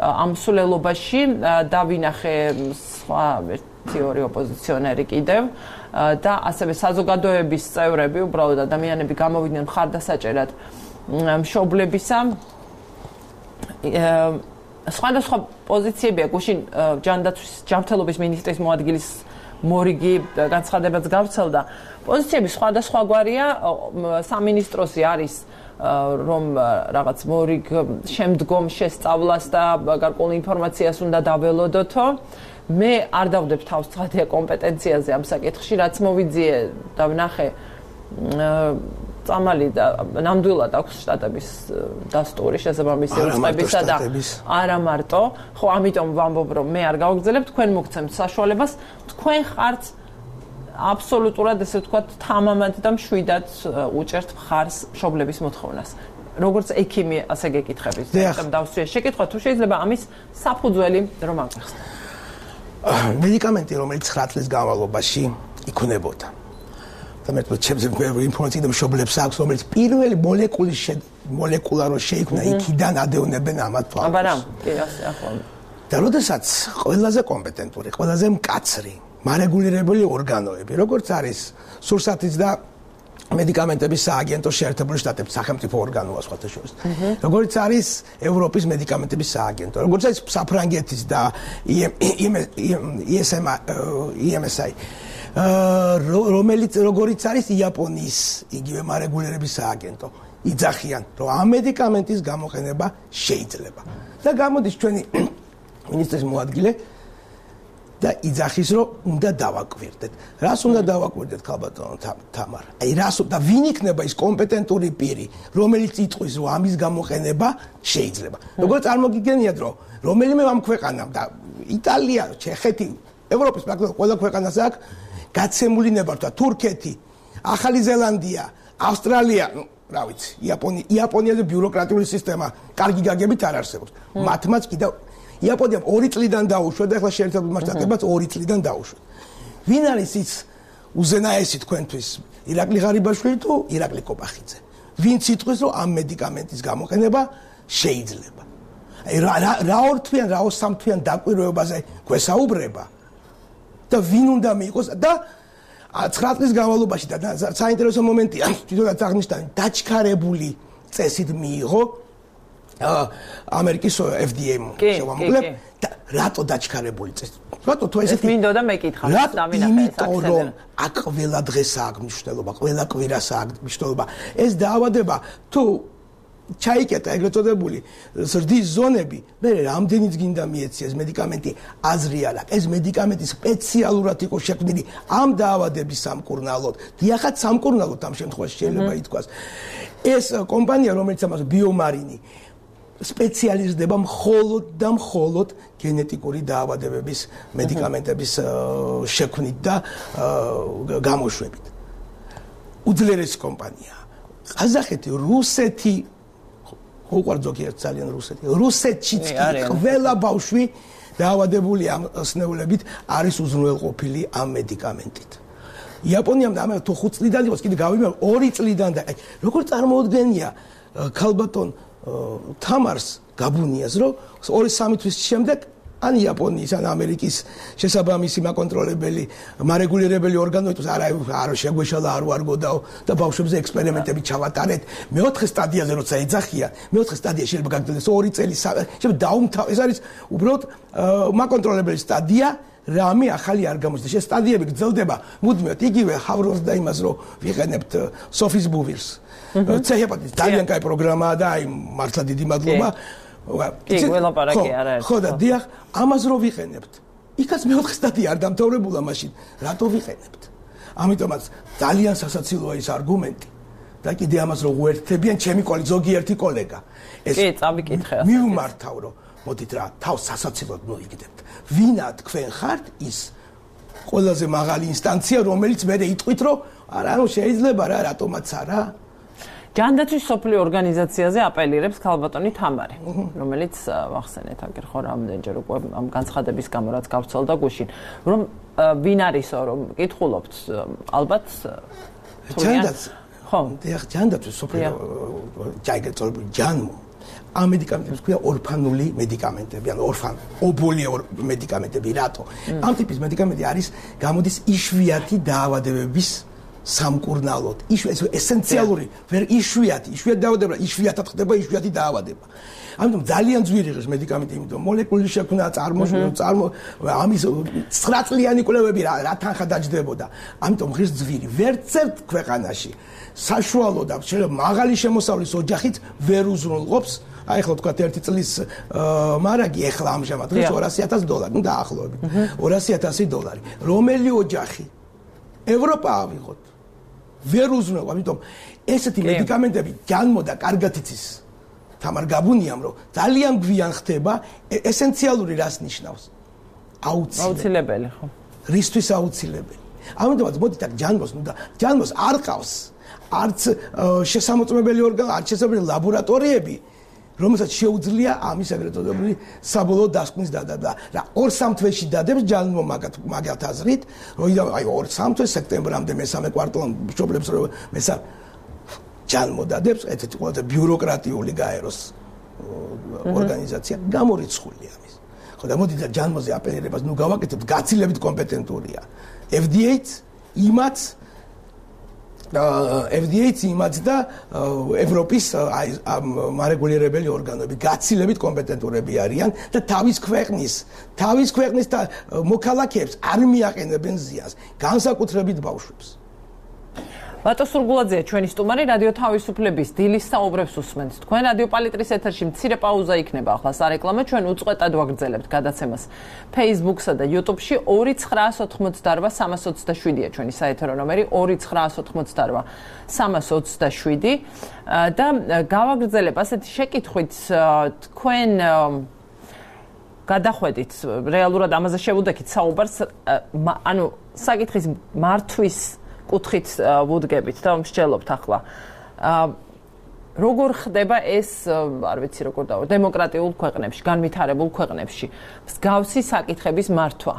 ამ მსვლელობაში დავინახე სხვა ერთი ორი ოპოზიციონერი კიდევ და ასევე საზოგადოების წევრები, უბრალოდ ადამიანები გამოვიდნენ მხარდასაჭერად მშობლებისა. სხვადასხვა პოზიციებია გუშინ ჯანდაცვის ჯანმრთელობის მინისტრის მოადგილის მორიგი განცხადებაც გავრცელდა. პოზიციები სხვადასხვაგვარია, სამინისტროსი არის რომ რაღაც მორიგ შემდგომ შესწავლას და გარკვეულ ინფორმაციას უნდა დაველოდოთო. მე არ დავდებ თავს ცხადია კომპეტენციაზე ამ საკითხში, რაც მოვიძიე და ვნახე წამალი და ნამდვილად აქვს შტატების დასტური შესაბამისი უწყებისა და არა მარტო, ხო ამიტომ ვამბობ რომ მე არ გავგზელებ, თქვენ მოგცემთ საშუალებას, თქვენ ხართ აბსოლუტურად ესე ვთქვათ თამამად და მშვიდად უჭერთ მხარს მშობლების მოთხოვნას. როგორც ექიმი ასე გეკითხებით, ზუსტად დავსვია შეკითხვა, თუ შეიძლება ამის საფუძველი რომ აღხსნათ. მედიკამენტი, რომელიც ცხრა წლის განმავლობაში იქნებოდა. და მე ჩემს ინფორმაციით მშობლებს აქვს, რომელიც პირველი მოლეკულის მოლეკულა რო შეიქმნა, იქიდან ადევნებენ ამათ თვალს. აბა რა, კი ასე ახლა. და როდესაც ყველაზე კომპეტენტური, ყველაზე მკაცრი მარეგულირებული ორგანოები, როგორც არის სურსათის და მედიკამენტების სააგენტო შეერთებული შტატების სახელმწიფო ორგანოა სხვათა შორის. როგორც არის ევროპის მედიკამენტების სააგენტო, როგორც არის საფრანგეთის და ი ეს ემ აი, რომელიც როგორც არის იაპონიის იგივე მარეგულირების სააგენტო. იძახიან, რომ ამ მედიკამენტის გამოყენება შეიძლება. და გამოდის ჩვენი მინისტრის მოადგილე და იძახის რომ უნდა დავაკვირდეთ. რას უნდა დავაკვირდეთ ქალბატონო თამარ? აი რას და ვინ იქნება ის კომპეტენტური პირი, რომელიც იტყვის რომ ამის გამოყენება შეიძლება. როგორც წარმოგიდგენიათ რომ რომელიმე ამ ქვეყანამ და იტალია, ჩეხეთი, ევროპის პრაქტიკულად ყველა ქვეყანას აქვს გაცემული ნებართვა, თურქეთი, ახალი ზელანდია, ავსტრალია, ну, რა ვიცი, იაპონია, იაპონიაზე ბიუროკრატიული სისტემა კარგი გაგებით არ არსებობს. მათმაც კიდევ იაპონიამ ორი წლიდან დაუშვათ და ახლა შეერთებულ შტატებმაც ორი წლიდან დაუშვათ. ვინ არის ის უზენაესი თქვენთვის? ირაკლი ღარიბაშვილი თუ ირაკლი კოპახიძე? ვინც იტყვის რომ ამ მედიკამენტის გამოყენება შეიძლება? აი რა რა ორთვიან, რა სამთვიან დაკვირვებაზე გვესაუბრება და ვინ უნდა მიიღოს და ცხრა წლის განმავლობაში და საინტერესო მომენტია თვითონაც აღნიშნავ დაჩქარებული წესით მიიღო ამერიკის F D A-მ შევამოკლებ და რატო დაჩქარებული წესი? რატო თუ ესეთი მინდოდა მეკითხა დამინახე ეს აქ ყველა დღესაა აქვს მნიშვნელობა, ყველა კვირასაა აქვს მნიშვნელობა. ეს დაავადება თუ ჩაიკეტა ეგრეთ წოდებული ზრდის ზონები, მე რამდენიც გინდა მიეციეს მედიკამენტი აზრი არ აქვს. ეს მედიკამენტი სპეციალურად იყო შექმნილი ამ დაავადების სამკურნალოდ. დიახაც სამკურნალოდ ამ შემთხვევაში შეიძლება ითქვას. ეს კომპანია, რომელიც ამას ბიომარინი სპეციალიზდება მხოლოდ და მხოლოდ გენეტიკური დაავადებების მედიკამენტების შექმნით და გამოშვებით. უძლიერესი კომპანია. ყაზახეთი, რუსეთი უყვართ ზოგიერთ ძალიან რუსეთი. რუსეთშიც ყველა ბავშვი დაავადებული ამ სნეულებით არის უზრუნველყოფილი ამ მედიკამენტით. იაპონიამ და ამერიკა თუ ხუთ წლიდან იყოს კიდე გავიმეორე ორი წლიდან და როგორ წარმოუდგენია ქალბატონ თამარს გაბუნიას რომ ორი სამი თვის შემდეგ ან იაპონიის ან ამერიკის შესაბამისი მაკონტროლებელი მარეგულირებელი ორგანო იტყვის არა არ შეგვეშალა არ ვარგოდაო და ბავშვებზე ექსპერიმენტები ჩავატარეთ მეოთხე სტადიაზე როცა ეძახია მეოთხე სტადია შეიძლება გაგრძელდეს ორი წელი შეიძლება დაუმთავრ ეს არის უბრალოდ მაკონტროლებელი სტადია რამე ახალი არ გამოჩნდა ეს სტადიები გრძელდება მუდმივად იგივე ჰავროს და იმას რომ ვიყენებთ სოფის ბუვირს ცეჰეპატიტის ძალიან კაი პროგრამაა და აი მართლა დიდი მადლობა კი ველაპარაკი არა ხო და დიახ ამას რო ვიყენებთ იქაც მეოთხე სტადია არ დამთავრებულა მაშინ რატო ვიყენებთ ამიტომაც ძალიან სასაცილოა ის არგუმენტი და კიდე ამას რო უერთდებიან ჩემი კოლეგა ზოგიერთი კოლეგა ეს კი წავიკითხე მივმართავ რომ მოდით რა თავს სასაცილოდ მოიგდებთ ვინა თქვენ ხართ ის ყველაზე მაღალი ინსტანცია რომელიც მე იტყვით რომ არა ნუ შეიძლება რა რატომაც არა ჯანდაცვის სოფლიო ორგანიზაციაზე აპელირებს ქალბატონი თამარი, რომელიც ახსენეთ აგერ ხო რამდენჯერ უკვე ამ განცხადების გამო რაც გავცელდა გუშინ, რომ ვინ არისო რომ კითხულობთ ალბათ ჯანდაცვის ხო დიახ ჯანდაცვის სოფლიო ჯაიგეწორებული ჯანმო ამ მედიკამენტებს ქვია ორფანული მედიკამენტები, ანუ ორფან ობოლი მედიკამენტები რატო? ამ ტიპის მედიკამენტი არის გამოდის იშვიათი დაავადებების სამკურნალოდ ის ესენციალური ვერ იშვიათი იშვიათი დაავადება იშვიათად ხდება იშვიათი დაავადება ამიტომ ძალიან ძვირი ღირს მედიკამენტი იმიტომ მოლეკულური შექმნა წარმოშობა წარმო ამის ცხრა წლიანი კვლევები რა რა თანხა დაჯდებოდა ამიტომ ღირს ძვირი ვერცერთ ქვეყანაში საშუალო და შეიძლება მაღალი შემოსავლის ოჯახით ვერ უზრუნველყოფს აი ხო თქვა ერთი წლის მარაგი ეხლა ამჟამად ღირს ორასი ათასი დოლარი ნუ დაახლოებით ორასი ათასი დოლარი რომელი ოჯახი ევროპა ავიღოთ ვერ უზრუნველყოფ ამიტომ ესეთი მედიკამენტები ჯანმოდა კარგად იცის თამარ გაბუნიამ რომ ძალიან გვიან ხდება ესენციალური რას ნიშნავს აუცილებელი ხო რისთვის აუცილებელი ამიტომაც მოდით აქ ჯანმოს ნუ და ჯანმოს არ ყავს არც შესამოწმებელი ორგანო არც შესაძლებელი ლაბორატორიები რომელსაც შეუძლია ამის ეგრეთ წოდებული საბოლოო დასკვნის დადება რა ორ სამ თვეში დადებს ჯანმო მაგათ აზრით რომ აი ორ სამ თვეს სექტემბრამდე მესამე კვარტალამდე მშობლებს რომ მესა ჯანმო დადებს ესეთი ყველაზე ბიუროკრატიული გაეროს ორგანიზაცია გამორიცხული ამის ხო და მოდით ჯანმოზე აპელირებას ნუ გავაკეთებთ გაცილებით კომპეტენტურია F D A-ც იმაც F D A-ც იმაც და ევროპის მარეგულირებელი ორგანოები გაცილებით კომპეტენტურები არიან და თავის ქვეყნის თავის ქვეყნის და მოქალაქეებს არ მიაყენებენ ზიანს განსაკუთრებით ბავშვებს ბატონ სურგულაძეა ჩვენი სტუმარი, რადიო თავისუფლების დილის საუბრებს უსმენთ. თქვენ რადიო პალიტრის ეთერში მცირე პაუზა იქნება ახლა სარეკლამო, ჩვენ უწყვეტად ვაგრძელებთ გადაცემას Facebook-სა და YouTube-ში. ორი ცხრაას ოცდაოთხ სამას ოცდაშვიდია ჩვენი საეთერო ნომერი, ორი ცხრაას ოცდაოთხ სამას ოცდაშვიდი და გავაგრძელებ ასეთი შეკითხვით, თქვენ გადახვედით რეალურად ამაზე შევუდექით საუბარს, ანუ საკითხის მართვის კუთხით ვუდგებით და მსჯელობთ ახლა. როგორ ხდება ეს, არ ვიცი როგორ დავა, დემოკრატიულ ქვეყნებში, განვითარებულ ქვეყნებში მსგავსი საკითხების მართვა.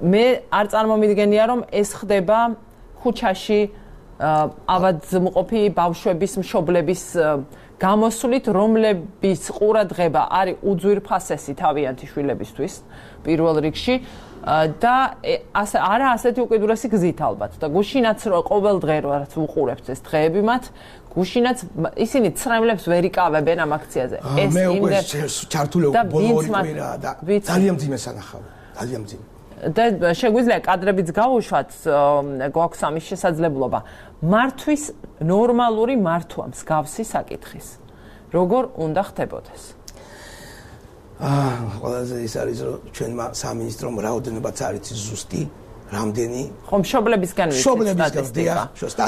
მე არ წარმომიდგენია, რომ ეს ხდება ქუჩაში ავადმყოფი ბავშვების, მშობლების გამოსვლით, რომლების ყურადღება არის უძვირფასესი თავიანთი შვილებისთვის პირველ რიგში და ასე არა ასეთი უკიდურესი გზით ალბათ და გუშინაც რო ყოველ დღე რაც უყურებთ ეს დღეები მათ გუშინაც ისინი ცრემლებს ვერ იკავებენ ამ აქციაზე. ეს მე უკვე ჩართული ბოლო ორი კვირა და ძალიან მძიმე სანახავი, ძალიან მძიმე. და შეგვიძლია კადრებიც გავუშვათ, გვაქვს ამის შესაძლებლობა. მართვის ნორმალური მართვა მსგავსი საკითხის. როგორ უნდა ხდებოდეს? აა, ყველაზე ის არის, რომ ჩვენმა სამინისტრომ რაოდენობაც არ იცის ზუსტი, რამდენი ხომ მშობლებისგან ვიცით სტატისტიკა.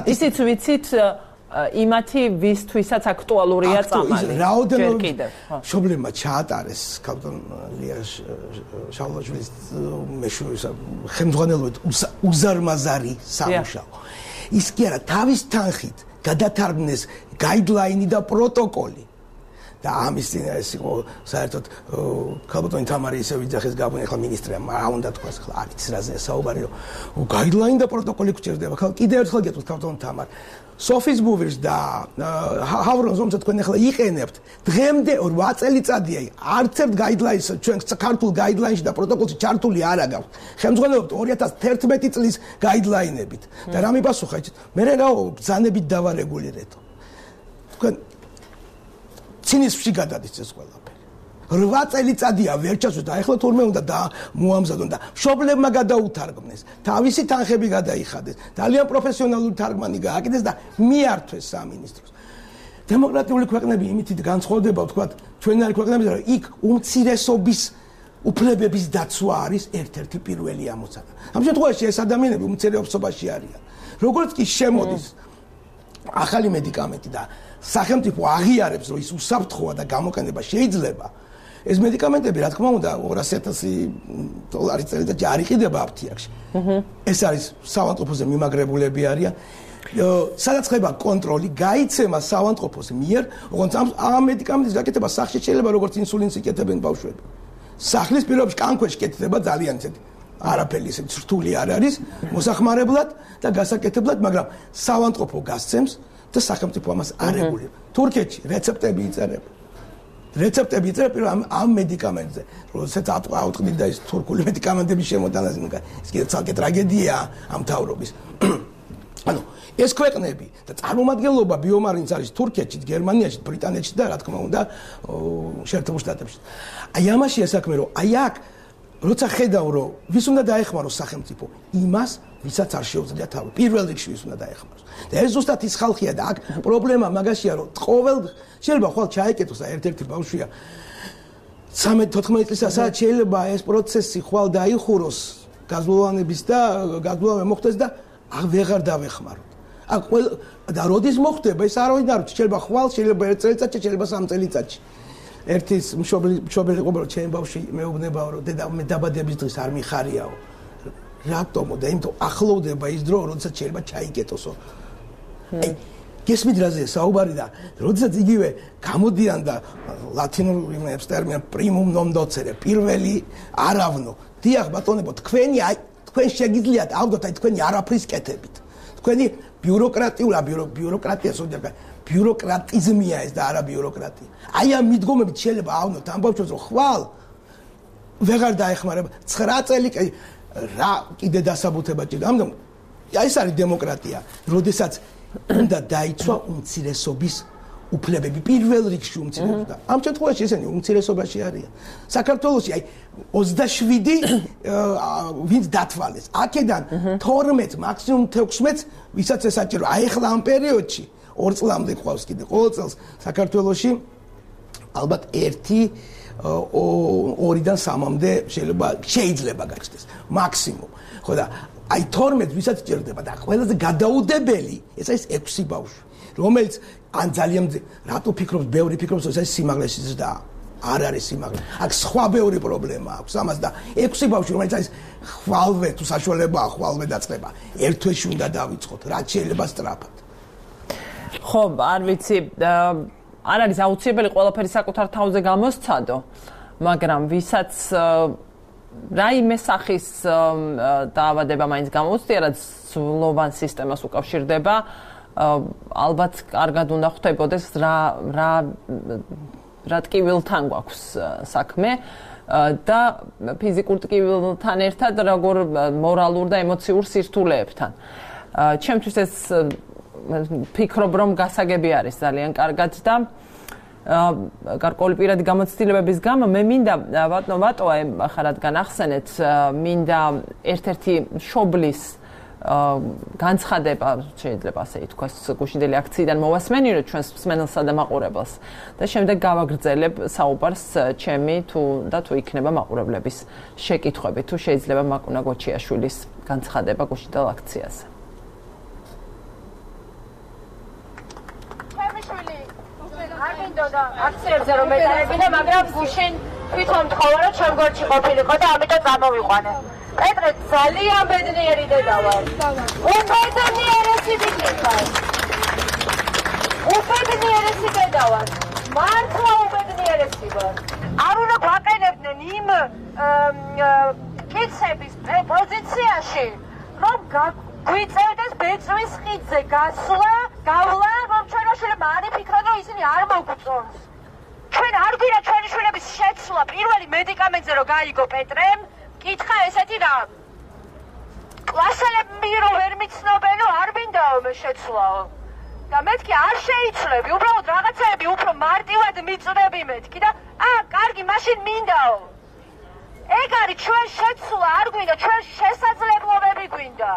ისიც ვიცით იმათი ვისთვისაც აქტუალურია წამალი. ჯერ კიდევ. მშობლებმა ჩაატარეს კაპიტან ლია შავლაშვილის მეშვეობისა ხელმძღვანელობით უზარმაზარი სამუშაო. ის კი არა, თავის თანხით გადათარგმნეს გაიდლაინი და პროტოკოლი. და ამის წინ ეს იყო საერთოდ კაპიტანი თამარი ისე ვიძახეს გაბონი ახლა მინისტრია, რა უნდა თქვას ახლა არის რაზეა საუბარი, რომ გაიდლაინი და პროტოკოლი გჭირდება. ახლა კიდევ ერთხელ გეტყვით კაპიტანი თამარ სოფის ბუვერს და ჰავრონს რომელსაც თქვენ ახლა იყენებთ დღემდე რვა წელიწადია არც ერთ გაიდლაინს ჩვენ საქართველოს გაიდლაინში და პროტოკოლში ჩართული არ აგავს ხელმძღვანელობთ ორი ათას თერთმეტი წლის გაიდლაინებით და რა მიპასუხა იცით მე რაო ბრძანებით დავარეგულირეთო თქვენ ცინიზმში გადადის ეს ყველაფერი რვა წელიწადია ვერ ჩასვით ახლა თურმე უნდა და მოამზადონ და მშობლებმა გადაუთარგმნეს თავისი თანხები გადაიხადეს ძალიან პროფესიონალური თარგმანი გააკეთეს და მიართვეს სამინისტროს დემოკრატიული ქვეყნები იმით განსხვავდება ვთქვათ ჩვენარი ქვეყნებიდან რომ იქ უმცირესობის უფლებების დაცვა არის ერთ-ერთი პირველი ამოცანა ამ შემთხვევაში ეს ადამიანები უმცირესობაში არიან როგორც კი შემოდის ახალი მედიკამენტი და სახელმწიფო აღიარებს რომ ის უსაფრთხოა და გამოყენება შეიძლება ეს მედიკამენტები რა თქმა უნდა ორასი ათასი დოლარი წელიწადში არ იყიდება აფთიაქში. ეს არის საავადმყოფოზე მიმაგრებულები არიან. სადაც ხდება კონტროლი, გაიცემა საავადმყოფოს მიერ, როგორც ამ მედიკამენტის გაკეთება სახლში შეიძლება როგორც ინსულინს იკეთებენ ბავშვები. სახლის პირობებში კანქვეშ კეთდება ძალიან ისეთი არაფერი ისეთი რთული არ არის მოსახმარებლად და გასაკეთებლად, მაგრამ საავადმყოფო გასცემს და სახელმწიფო ამას არ რეგულირებს. თურქეთში რეცეპტები იწერება. რეცეპტები იწერება პირველ ამ ამ მედიკამენტზე, როდესაც ავტყდით და ის თურქული მედიკამენტების შემოტანაზე, ის კიდევ ცალკე ტრაგედია ამ თავრობის. ანუ ეს ქვეყნები და წარმომადგენლობა ბიომარინს არის თურქეთში, გერმანიაში, ბრიტანეთში და რა თქმა უნდა შეერთებულ შტატებში. აი ამაში ესაქმე რომ აი აქ როცა ხედავ რომ ვის უნდა დაეხმაროს სახელმწიფო, იმას ვისაც არ შეუძლია თავი. პირველ რიგში ვის უნდა დაეხმაროს. და ეს ზუსტად ის ხალხია და აქ პრობლემა მაგაშია რომ ყოველ შეიძლება ხვალ ჩაიკეთოს და ერთ-ერთი ბავშვია ცამეტ თოთხმეტ წლისასაც შეიძლება ეს პროცესი ხვალ დაიხუროს გაზლოვანების და გაზლოვანა მოხდეს და აღარ დავეხმაროთ. აქ ყველა და როდის მოხდება ეს არ ვიცი, შეიძლება ხვალ, შეიძლება ერთ წელიწადში, შეიძლება სამ წელიწადში. ერთის მშობელი მშობელი ყובה რომ ჩემ ბავშვი მეუბნებაო რომ დედა მე დაბადების დღეს არ მიხარიაო. რატომო და იმიტომ ახლოვდება ის დრო, როდესაც შეიძლება ჩაიკეტოსო. აი გესმით რაზე საუბარი და როდესაც იგივე გამოდიან და ლათინურ იმებს ტერმინ პრიმუმ ნონ დოცერე პირველი არავნო დიახ ბატონებო თქვენი აი თქვენ შეგიძლიათ ავდოთ აი თქვენი არაფრის კეთებით თქვენი ბიუროკრატიულა ბიუროკრატია სოდება ბიუროკრატიზმია ეს და არა ბიუროკრატია აი ამ მიდგომებით შეიძლება ავნოთ ამ ბავშვებს რომ ხვალ ვეღარ დაეხმარება ცხრა წელი რა კიდე დასაბუთება ჭირდება ამიტომ ეს არის დემოკრატია როდესაც უნდა დაიცვა უმცირესობის უფლებები პირველ რიგში უმცირესობა. ამ შემთხვევაში ესენი უმცირესობაში არიან. საქართველოში აი ოცდაშვიდი ვინც დათვალეს. აქედან თორმეტ, მაქსიმუმ თექვსმეტ, ვისაც ესაჭირო. აი ახლა ამ პერიოდში ორ წლამდე ყავს კიდე. ყოველ წელს საქართველოში ალბათ ერთი ორიდან სამამდე შეიძლება შეიძლება გაჩნდეს მაქსიმუმ. ხო და აი თორმეტ ვისაც ჭირდება და ყველაზე გადაუდებელი ეს არის ექვსი ბავშვი, რომელიც ან ძალიან რატო ფიქრობს, ბევრი ფიქრობს, ეს არის სიმაღლეს ზრდა. არ არის სიმაღლე. აქ სხვა ბევრი პრობლემა აქვს ამას და ექვსი ბავშვი, რომელიც არის ხვალვე თუ საშუალებაა ხვალვე დაწყება. ერთ თვეში უნდა დავიწყოთ, რაც შეიძლება სწრაფად. ხო, არ ვიცი, არ არის აუცილებელი ყველაფერი საკუთარ თავზე გამოსცადო, მაგრამ ვისაც რაიმე სახის დაავადება მაინც გამოუცდია, რაც ძლოვან სისტემას უკავშირდება, ალბათ კარგად უნდა ხვდებოდეს რა რა რა ტკივილთან გვაქვს საქმე და ფიზიკურ ტკივილთან ერთად როგორ მორალურ და ემოციურ სირთულეებთან. ჩემთვის ეს ფიქრობ რომ გასაგები არის ძალიან კარგად და გარკვეული პირადი გამოცდილებების გამო მე მინდა ბატონო ვატო ახლა რადგან ახსენეთ მინდა ერთ-ერთი შობლის განცხადება შეიძლება ასე ითქვას გუშინდელი აქციიდან მოვასმენირო ჩვენს მსმენელსა და მაყურებელს და შემდეგ გავაგრძელებ საუბარს ჩემი თუ და თუ იქნება მაყურებლების შეკითხვები თუ შეიძლება მაკუნა გოჩიაშვილის განცხადება გუშინდელ აქციაზე. აქციებზე რომ ეტარებინა, მაგრამ გუშინ თვითონ თხოვა რომ ჩემ გვერდში ყოფილიყო და ამიტომ წამოვიყვანე. პეტრე ძალიან ბედნიერი დედა ვარ. უბედნიერესი ბიჭი ვარ. უბედნიერესი დედა ვარ. მართლა უბედნიერესი ვარ. არ უნდა გვაყენებდნენ იმ კიცების პოზიციაში, რომ გვიწევდეს ბეწვის ხიდზე გასვლა, გავლა, რომ ჩვენ შეიძლება არ იფიქროთ, რომ ისინი არ მოგვწონს. ჩვენ არ გვინდა ჩვენი შვილების შეცვლა პირველი მედიკამენტზე რომ გაიგო პეტრემ, კითხა ესეთი რა. კლასელები რომ ვერ მიცნობენო, არ მინდაო მე შეცვლაო. და მეთქი არ შეიცვლები, უბრალოდ რაღაცები უფრო მარტივად მიწნები მეთქი და ა, კარგი, მაშინ მინდაო. ეგ არის ჩვენ შეცვლა არ გვინდა, ჩვენ შესაძლებლობები გვინდა.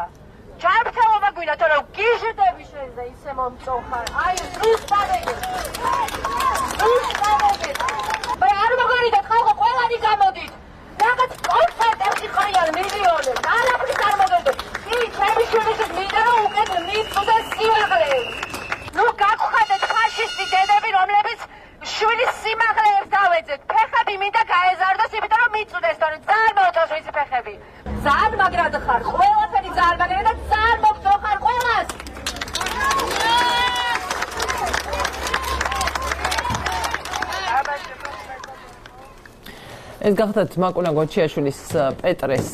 ჯანმრთელობა გვინდა, თორემ გიჟდები შენზე ისე მომწოხარ. აი, ზუსტად ეგ. ზუსტად ეგ. მაგრამ არ მოგონიდეთ, ხალხო, ყველანი გამოდით. რაღაც კონცერტებში ხარიან მილიონები. არაფრის არ მოგონიდეთ. კი, ჩემი შვილიშვილს მინდა რომ უკეთ მიწვდეს სიმაღლეებს. ნუ გაგხვდეთ ფაშისტი დედები, რომლებიც შვილის სიმაღლეებს დავეძეთ. ფეხები მინდა გაეზარდოს, იმიტომ რომ მიწვდეს, თორემ ძალიან მოუწევს მისი ფეხები. ძალიან მაგრად ხარ, ყველაფერი ძალიან მაგრად და ძალიან მოგწოხარ ყველას. ეს გახდათ მაკუნა გოჩიაშვილის პეტრეს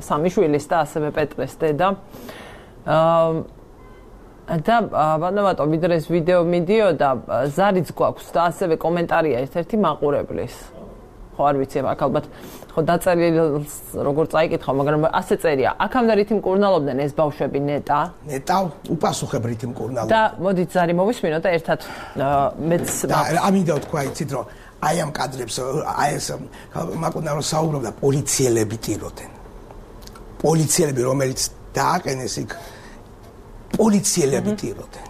სამიშვილის და ასევე პეტრეს დედა. და ბანავატო ვიდრე ეს ვიდეო მიდიოდა ზარიც გვაქვს და ასევე კომენტარია ერთ-ერთი მაყურებლის. ხო არ ვიცი აქ ალბათ ხო დაწერილს როგორ წაიკითხავ, მაგრამ ასე წერია. აქამდე რითი მკურნალობდნენ ეს ბავშვები ნეტა? ნეტა უპასუხებ რითი მკურნალობდნენ. და მოდით ზარი მოვისმინოთ და ერთად მეც ამინდა თქვა იცით რომ აი ამ კადრებს აი ეს მაკუნა რომ საუბრობდა პოლიციელები ტიროდნენ. პოლიციელები რომელიც დააყენეს იქ პოლიციელები ტიროდნენ.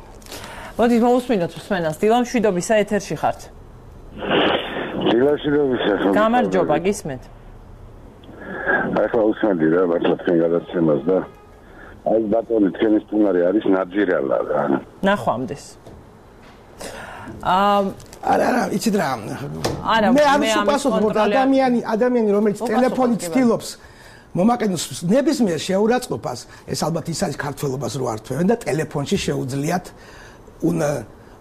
მოდით მოვისმინოთ მსმენელს. დილამ შვიდობისა ეთერში ხართ. დილაშვილობისა. გამარჯობა, გისმენთ. ახლა უსმენდი რა მართლა თქვენ გადაცემას და აი ბატონი თქვენი სტუმარი არის ნაძირალა რა. ნახვამდეს. აა არა არა იცით რა არა მე არ ვსუპასობ ადამიანი ადამიანი რომელიც ტელეფონით ცდილობს მომაკენოს ნებისმიერ შეურაცხყოფას ეს ალბათ ის არის ქართველობას რო ართვევენ და ტელეფონში შეუძლიათ უნდა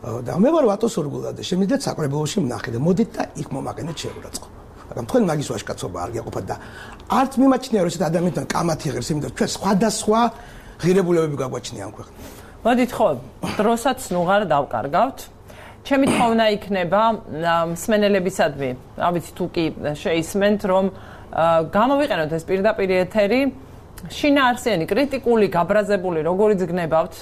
და მე ვარ ვატო სურგულა და შემიძლიათ საკრებულოში ვნახე და მოდით და იქ მომაკენეთ შეურაცხყოფა მაგრამ თქვენ მაგის ვაშკაცობა არ გიაყოფათ და არც მიმაჩნია რომ ეს ადამიანთან კამათი ღირს იმიტომ ჩვენ სხვადასხვა ღირებულებები გაგვაჩნია ამ ქვეყანაში მოდით ხო დროსაც ნუღარ დავკარგავთ ჩემი თხოვნა იქნება მსმენელებისადმი რა ვიცი თუ კი შეისმენთ რომ გამოვიყენოთ ეს პირდაპირ ეთერი შინაარსიანი კრიტიკული გაბრაზებული როგორიც გნებავთ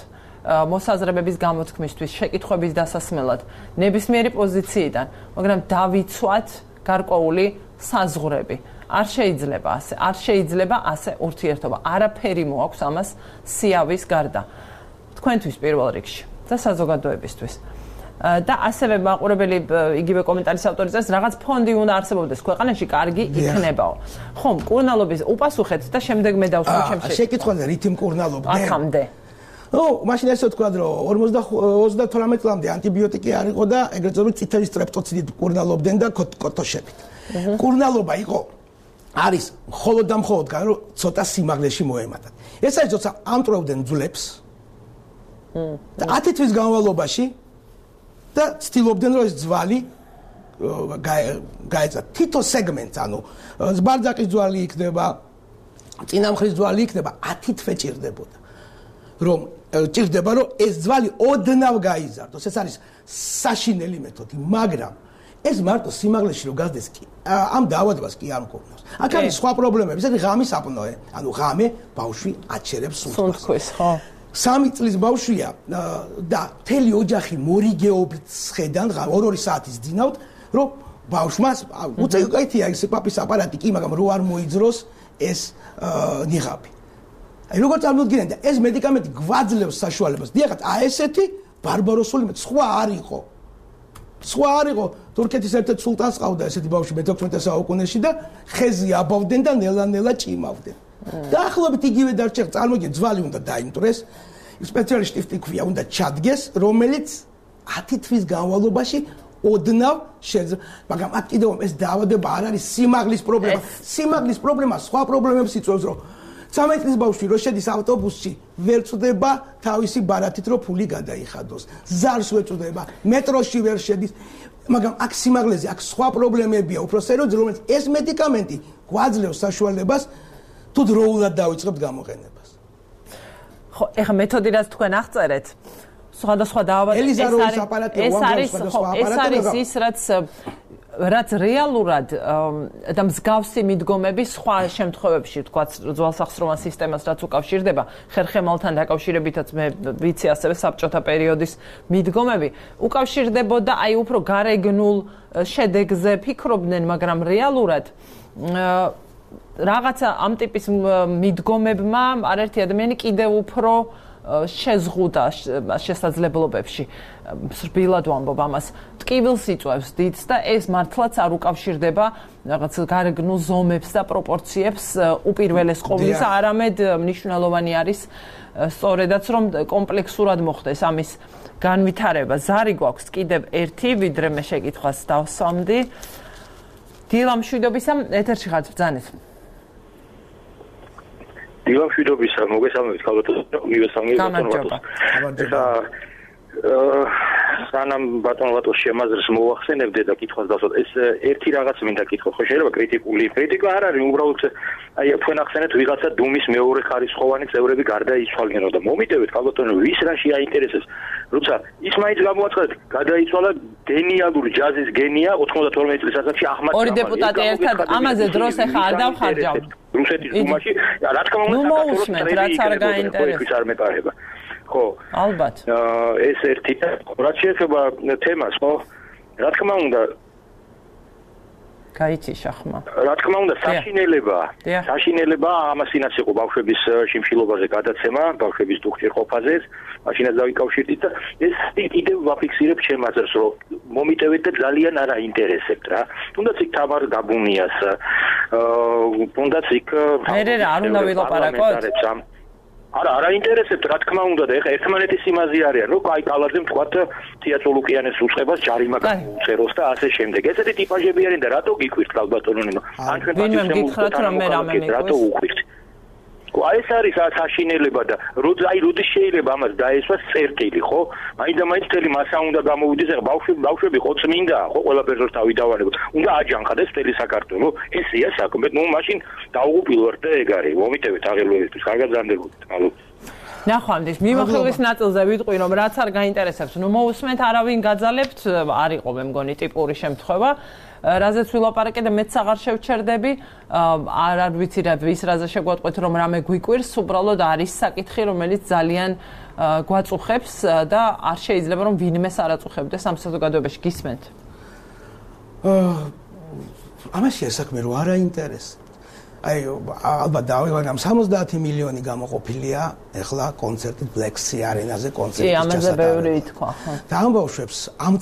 მოსაზრებების გამოთქმისთვის, შეკითხვების დასასმელად, ნებისმიერი პოზიციიდან, მაგრამ დავიცვათ გარკვეული საზღვრები. არ შეიძლება ასე, არ შეიძლება ასე ურთიერთობა. არაფერი მოაქვს ამას სიავის გარდა. თქვენთვის პირველ რიგში და საზოგადოებისთვის. და ასევე მაყურებელი იგივე კომენტარის ავტორი წერს, რაღაც ფონდი უნდა არსებობდეს ქვეყანაში, კარგი იქნებაო. ხომ, მკურნალობის უპასუხეთ და შემდეგ მე დავსვამ ჩემში. შეკითხვაზე რითი მკურნალობდნენ? აქამდე. ო, მაშინ ესე ვთქვა, რომ ოცდათვრამეტ წლამდე ანტიბიოტიკი არ იყო და ეგრეთ წოდებული წითელი სტრეპტოციდით მკურნალობდნენ და კოტოშებით. მკურნალობა იყო არის მხოლოდ და მხოლოდ გან რომ ცოტა სიმაღლეში მოემატათ. ეს არის როცა ამტვრევდნენ ძვლებს. და ათი თვის განმავლობაში და ცდილობდნენ რომ ეს ძვალი გაეცა თითო სეგმენტს, ანუ ზბარძაკის ძვალი იქნება, წინამხრის ძვალი იქნება, ათი თვე ჭირდებოდა. რომ ჭირდება რომ ეს ძვალი ოდნავ გაიზარდოს. ეს არის საშინელი მეთოდი, მაგრამ ეს მარტო სიმაღლეში რო გაზდეს კი ამ დაავადებას კი არ მქონავს. აქ არის სხვა პრობლემები, ეს არის ღამის აპნოე, ანუ ღამე ბავშვი აჩერებს სუნთქვის, ხო? სამი წლის ბავშვია და მთელი ოჯახი მორიგეობით სხედან ორ-ორი საათის ძინავთ, რომ ბავშვმას უწევკაითია ეს პაპის აპარატი კი, მაგრამ რო არ მოიძროს ეს ნიღაბი. აი როგორ წარმოვიდგინეთ და ეს მედიკამენტი გვაძლევს საშუალებას. დიახაც, აი ესეთი ბარბაროსული მე სხვა არ იყო. სხვა არ იყო. თურქეთის ერთ-ერთ სულტანს ყავდა ესეთი ბავშვი მეთექვსმეტე საუკუნეში და ხეზე აბავდნენ და ნელა-ნელა ჭიმავდნენ. დაახლოებით იგივე დარჩა, წარმოგიდგენთ, ძვალი უნდა დაიმტვრეს, სპეციალისტი ტიფტიქვია უნდა ჩადგეს, რომელიც ათი თვის განმავლობაში ოდნავ შეიძლება, მაგრამ აქ კიდევ ეს დაავადება არ არის სიმაღლის პრობლემა. სიმაღლის პრობლემა სხვა პრობლემებს იწვევს, რომ ცამეტ წლის ბავშვი რო შედის ავტობუსში, ვერ წვდება თავისი ბარათით, რომ ფული გადაიხადოს. ზარს ვერ წვდება, მეტროში ვერ შედის, მაგრამ აქ სიმაღლეზე, აქ სხვა პრობლემებია, უფრო სერიოზული, რომელიც ეს მედიკამენტი გვაძლევს საშუალებას თუ დროულად დავიწყებთ გამოყენებას. ხო, ეხლა მეთოდი რაც თქვენ აღწერეთ, სხვადასხვა დაავადებები ეს არის ეს არის ეს არის ის რაც რაც რეალურად და მსგავსი მიდგომები სხვა შემთხვევებში, თქვათ, ძვალსახსროვან სისტემას რაც უკავშირდება, ხერხემალთან დაკავშირებითაც მე ვიცი ასევე საბჭოთა პერიოდის მიდგომები, უკავშირდებოდა აი უფრო გარეგნულ შედეგზე ფიქრობდნენ, მაგრამ რეალურად რაღაცა ამ ტიპის მიდგომებმა არაერთი ადამიანი კიდევ უფრო შეზღუდა შესაძლებლობებში. სრბილად ვამბობ ამას. ტკივილს იწვევს დიდს და ეს მართლაც არ უკავშირდება რაღაც გარეგნულ ზომებს და პროპორციებს უპირველეს ყოვლისა, არამედ მნიშვნელოვანი არის სწორედაც რომ კომპლექსურად მოხდეს ამის განვითარება. ზარი გვაქვს კიდევ ერთი, ვიდრე მე შეკითხვას დავსვამდი. დილა მშვიდობისა, ეთერში ხართ, ბრძანეთ. დილა მშვიდობისა, მოგესალმებით, ქალბატონო, მივესალმებით ბატონო. ეხლა სანამ ბატონო ბატონს შემაძრს მოახსენებდე და კითხვას დავსვათ, ეს ერთი რაღაც მინდა კითხო, ხო შეიძლება კრიტიკული კრიტიკა არ არის, უბრალოდ აი თქვენ ახსენეთ ვიღაცა დუმის მეორე ხარისხოვანი წევრები გარდაიცვალნენ და მომიტევეთ ქალბატონო, ვის რაში აინტერესებს, როცა ის მაინც გამოაცხადეთ, გადაიცვალა გენიალური ჯაზის გენია ოცდათორმეტ წლის ასაკში აჰმად ორი დეპუტატი ერთად ამაზე დროს ახლა არ დავხარჯავ. რუსეთის დუმაში, რა თქმა უნდა, საქართველოს რაც არ გაინტერესებს. არ მეპარება. ხო, ალბათ. ეს ერთი და რაც შეეხება თემას, ხო? რა თქმა უნდა, გაიჩიშა ხმა. რა თქმა უნდა, საშინელება, საშინელება ამასინაც იყო ბავშვების შიმშილობაზე გადაცემა, ბავშვების დუქჭირყოფაზე, მაშინაც დავიკავშირდით და ეს კიდევ ვაფიქსირებ ჩემაზრს, რომ მომიტევეთ და ძალიან არ აინტერესებთ რა. თუნდაც იქ თამარ გაბუნიას, თუნდაც იქ მე არ უნდა ვილაპარაკოთ. არა, არ აინტერესებთ, რა თქმა უნდა და ეხა ერთმანეთის იმაზე არიან, რომ აი კალაძემ თქვათ თეატროლუკიანეს უწყებას ჯარიმა გამოუწეროს და ასე შემდეგ. ესეთი ტიპაჟები არიან და რატო გიქვირთ ქალბატონო ნინო? ან ჩვენ გითხრათ რომ მე რამე მიყვეს. რატო უყვირთ? აი ეს არის საშინელება და როდი აი როდი შეიძლება ამას დაესვას წერტილი, ხო? აი და მაინც მთელი მასა უნდა გამოვიდეს, ეხა ბავშვები ბავშვები ხო წმინდა, ხო ყველაფერს რო თავი დავალებოთ. უნდა აჯანყდეს მთელი საქართველო. ესეა საქმე. ნუ მაშინ დაუღუპილვართ და ეგ არის. მომიტევეთ აღელვებისთვის, კარგად ზარდებოდეთ. მადლობა. ნახვამდის მიმოხილვის ნაწილზე ვიტყვი რომ რაც არ გაინტერესებს, ნუ მოусმენთ, არავინ გაძალებთ, არ იყო მე მგონი ტიპური შემთხვევა. რაზეც ვილაპარაკე და მეც აღარ შევჩერდები, არ არ ვიცი რა ვის რაზე შეგვატყვეთ რომ რამე გვიკვირს, უბრალოდ არის საკითხი, რომელიც ძალიან გვაწუხებს და არ შეიძლება რომ ვინმეს არ აწუხებდეს ამ საზოგადოებაში. გისმენთ? ამაში საქმე რო არა ინტერესი. აი ალბათ დავიღალე ამ სამოცდაათი მილიონი გამოყოფილია ეხლა კონცერტი Black Sea არენაზე კონცერტის ჩასატარებლად. კი, ამაზე ბევრი ითქვა. და ამ ბავშვებს ამ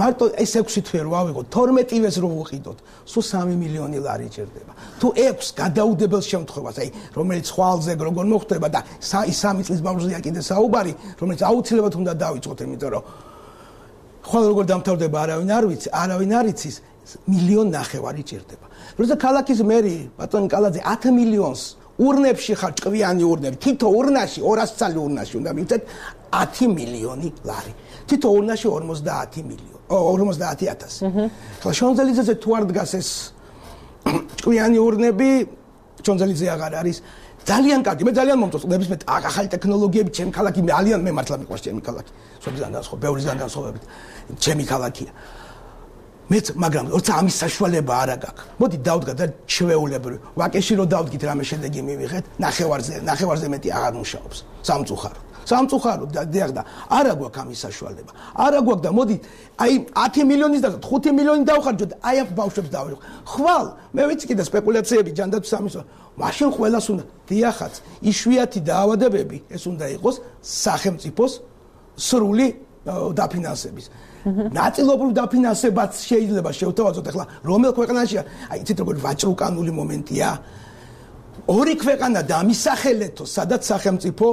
მარტო ეს ექვსი თვე რო ავიღოთ, თორმეტივეს რო ვუყიდოთ, სულ სამი მილიონი ლარი ჭირდება. თუ ექვს გადაუდებელ შემთხვევას, აი რომელიც ხვალზე როგორ მოხდება და სამი წლის ბავშვზეა კიდე საუბარი, რომელიც აუცილებლად უნდა დავიწყოთ, იმიტომ რომ ხვალ როგორ დამთავრდება არავინ არ ვიცი, არავინ არ იცის, მილიონ ნახევარი ჭირდება. როცა ქალაქის მერი ბატონი კალაძე ათი მილიონს ურნებში ხარ ჭკვიანი ურნები, თითო ურნაში ორასი წალი ურნაში უნდა მივცეთ ათი მილიონი ლარი. თითო ურნაში ორმოცდაათი მილიონი, ორმოცდაათი ათასი. ხლა შონზელიძეზე თუ არ დგას ეს ჭკვიანი ურნები, შონზელიძე აღარ არის ძალიან კარგი, მე ძალიან მომწონს ნებისმიერ ახალი ტექნოლოგიები, ჩემი ქალაქი ძალიან მე მართლა მიყვარს ჩემი ქალაქი. სოფლიდან განსხვავებით, ბევრისგან განსხვავებით, ჩემი ქალაქია. მეც მაგრამ როცა ამის საშუალება არ აქვს მოდი დავდგა და ჩვეულებრივ ვაკეში რო დავდგით რამე შედეგი მივიღეთ ნახევარზე ნახევარზე მეტი აღარ მუშაობს სამწუხაროდ სამწუხაროდ დიახ და არა გვაქვს ამის საშუალება არა გვაქვს და მოდი აი ათი მილიონის და ხუთი მილიონი დავხარჯოთ აი ამ ბავშვებს დავიღო ხვალ მე ვიცი კიდე სპეკულაციები ჯანდაცვის სამისო მაშინ ყველას უნდა დიახაც იშვიათი დაავადებები ეს უნდა იყოს სახელმწიფოს სრული დაფინანსების ნაწილობრივ დაფინანსებაც შეიძლება შევთავაზოთ ახლა რომელ ქვეყანაშია აი იცით როგორ ვაჭრუკანული მომენტია ორი ქვეყანა დამისახელეთო სადაც სახელმწიფო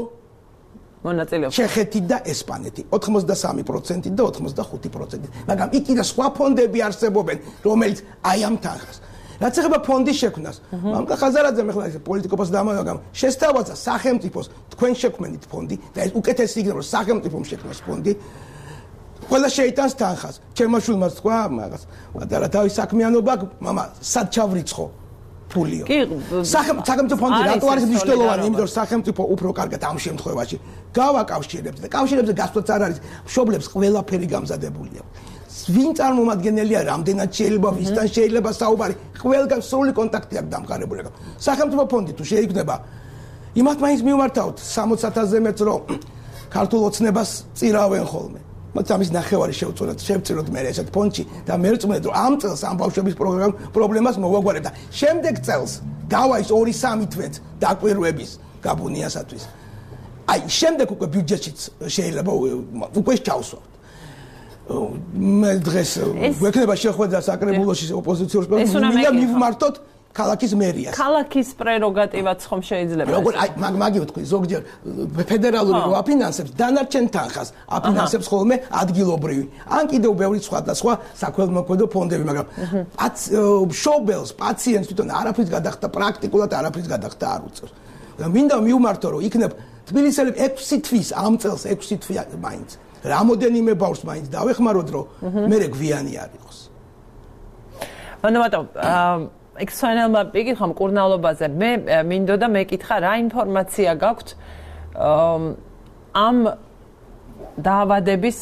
მონაწილეობს ჩეხეთი და ესპანეთი ოცდამსამი პროცენტი და ოცდახუთი პროცენტი მაგრამ იქ კიდე სხვა ფონდები არსებობენ რომელიც აი ამ თანხას რაც ეხება ფონდის შექმნას მამკა ხაზარაძემ ახლა ეს პოლიტიკოს დამავაგამ შესთავაზა სახელმწიფოს თქვენ შექმნით ფონდი და ეს უკეთესი იქნება რომ სახელმწიფომ შექმნას ფონდი ყველა შეიტანს თანხას. ჩემმა შვილმა თქვა მაგას. და თავის საქმიანობა, მამა, სად ჩავრიცხო ფულიო. კი, სახელმწიფო ფონდი რატო არის მნიშვნელოვანი? იმიტომ რომ სახელმწიფო უფრო კარგად ამ შემთხვევაში გავაკავშირებს და კავშირებზე გასვლაც არ არის. მშობლებს ყველაფერი გამზადებული აქვს. ვინ წარმომადგენელია, რამდენად შეიძლება, ვისთან შეიძლება საუბარი, ყველგან სრული კონტაქტი აქვს დამყარებული. სახელმწიფო ფონდი თუ შეიქმნება, იმათ მაინც მივმართავთ სამოცი ათასზე მეც რომ ქართულ ოცნებას წირავენ ხოლმე. მათ ამის ნახევარი შევწუროთ, შევწიროთ მე ესეთ ფონდში და მე ვწმენდ რომ ამ წელს ამ ბავშვების პრობლემას მოვაგვარებ და შემდეგ წელს დავა ის ორი სამი თვეც დაკვირვების გაბუნიასათვის. აი შემდეგ უკვე ბიუჯეტშიც შეიძლება უკვე ჩავსვათ. მე დღეს ვექნება შეხვედრა საკრებულოში ოპოზიციურ პრეზიდენტს და მივმართოთ ქალაქის მერიას. ქალაქის პრეროგატივაც ხომ შეიძლება. როგორ აი მაგი ვთქვი, ზოგჯერ ფედერალური რო აფინანსებს, დანარჩენ თანხას აფინანსებს ხოლმე ადგილობრივი. ან კიდევ ბევრი სხვა და სხვა საქველმოქმედო ფონდები, მაგრამ მშობელს, პაციენტს თვითონ არაფრის გადახდა, პრაქტიკულად არაფრის გადახდა არ უწევს. და მინდა მივმართო, რომ იქნებ თბილისელები ექვსი თვის ამ წელს ექვსი თვი მაინც. რამოდენიმე ბავშვს მაინც დავეხმაროთ, რომ მე გვიანი არ იყოს. ანუ ბატონო, ექსონელმა იკითხა მკურნალობაზე. მე მინდოდა მეკითხა რა ინფორმაცია გაქვთ ამ დაავადების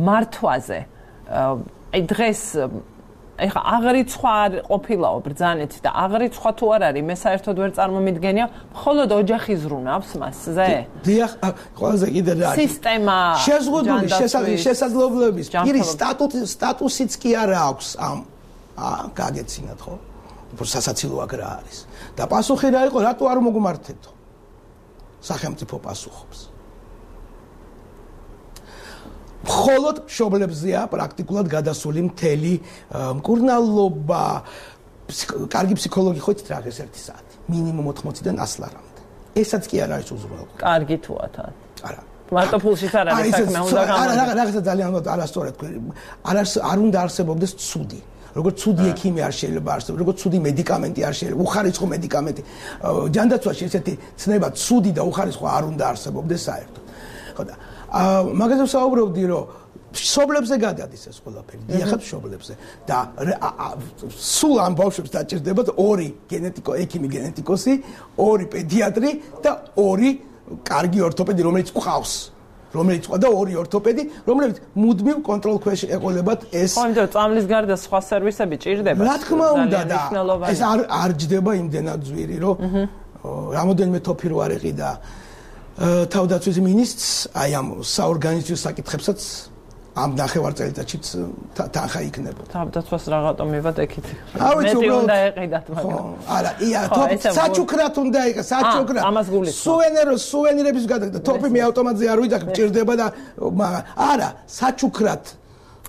მართვაზე. აი დღეს ეხა აღრიცხვა არ ყოფილაო ბრძანეთ და აღრიცხვა თუ არ არის, მე საერთოდ ვერ წარმომიდგენია, მხოლოდ ოჯახი ზრუნავს მასზე. დიახ, ყველაზე კიდე რა არის? სისტემა შეზღუდული შესაძლებლობების პირის სტატუსიც კი არა აქვს ამ აა გაგეცინათ ხო? უფრო სასაცილო აქ რა არის. და პასუხი რა იყო, რატო არ მოგმართეთო? სახელმწიფო პასუხობს. მხოლოდ მშობლებზეა პრაქტიკულად გადასული მთელი მკურნალობა, კარგი ფსიქოლოგი ხო იცით რა ეს ერთი საათი, მინიმუმ ოთხმოციდან ასლარამდე. ესაც კი არ არის უზრუნველყოფა. კარგი თუათან. არა. მარტო ფულშიც არ არის საქმე, უნდა გამოვიდა. არა, რაღაცა ძალიან არასწორად თქვი. არ არ უნდა არსებობდეს ცუდი. როგორც ცუდი ექიმი არ შეიძლება არსებობს, როგორც ცუდი მედიკამენტი არ შეიძლება, უხარისხო მედიკამენტი. ჯანდაცვაში ესეთი ცნება ცუდი და უხარისხო არ უნდა არსებობდეს საერთოდ. ხო და მაგაზე ვსაუბრობდი, რომ მშობლებზე გადადის ეს ყველაფერი, დიახაც მშობლებზე და სულ ამ ბავშვებს დაჭირდებათ ორი გენეტიკო, ექიმი გენეტიკოსი, ორი პედიატრი და ორი კარგი ორთოპედი, რომელიც ყავს. რომელიც ყვა და ორი ორთოპედი, რომლებიც მუდმივ კონტროლ ქვეშ ეყოლებათ ეს. ხო, იმიტომ წამლის გარდა სხვა სერვისები ჭირდება. რა თქმა უნდა და ეს არ არ ჯდება იმდენად ძვირი, რომ რამოდენიმე თოფირვარიყი და თავდაცვის მინისტრს აი ამ საორგანიზაციო საკითხებსაც ამ ნახევარ წელიწადშიც თანხა იქნებოდა. თავდაცვას რაღაცა მივად ეკით. მეტი უნდა ეყიდათ მაგრამ. არა, ია, საჩუქრად უნდა იყა, საჩუქრად. სუვენერო, სუვენირების გადაგდა. თოფი მე ავტომატზე არ ვიდახ, მჭირდება და არა, საჩუქრად.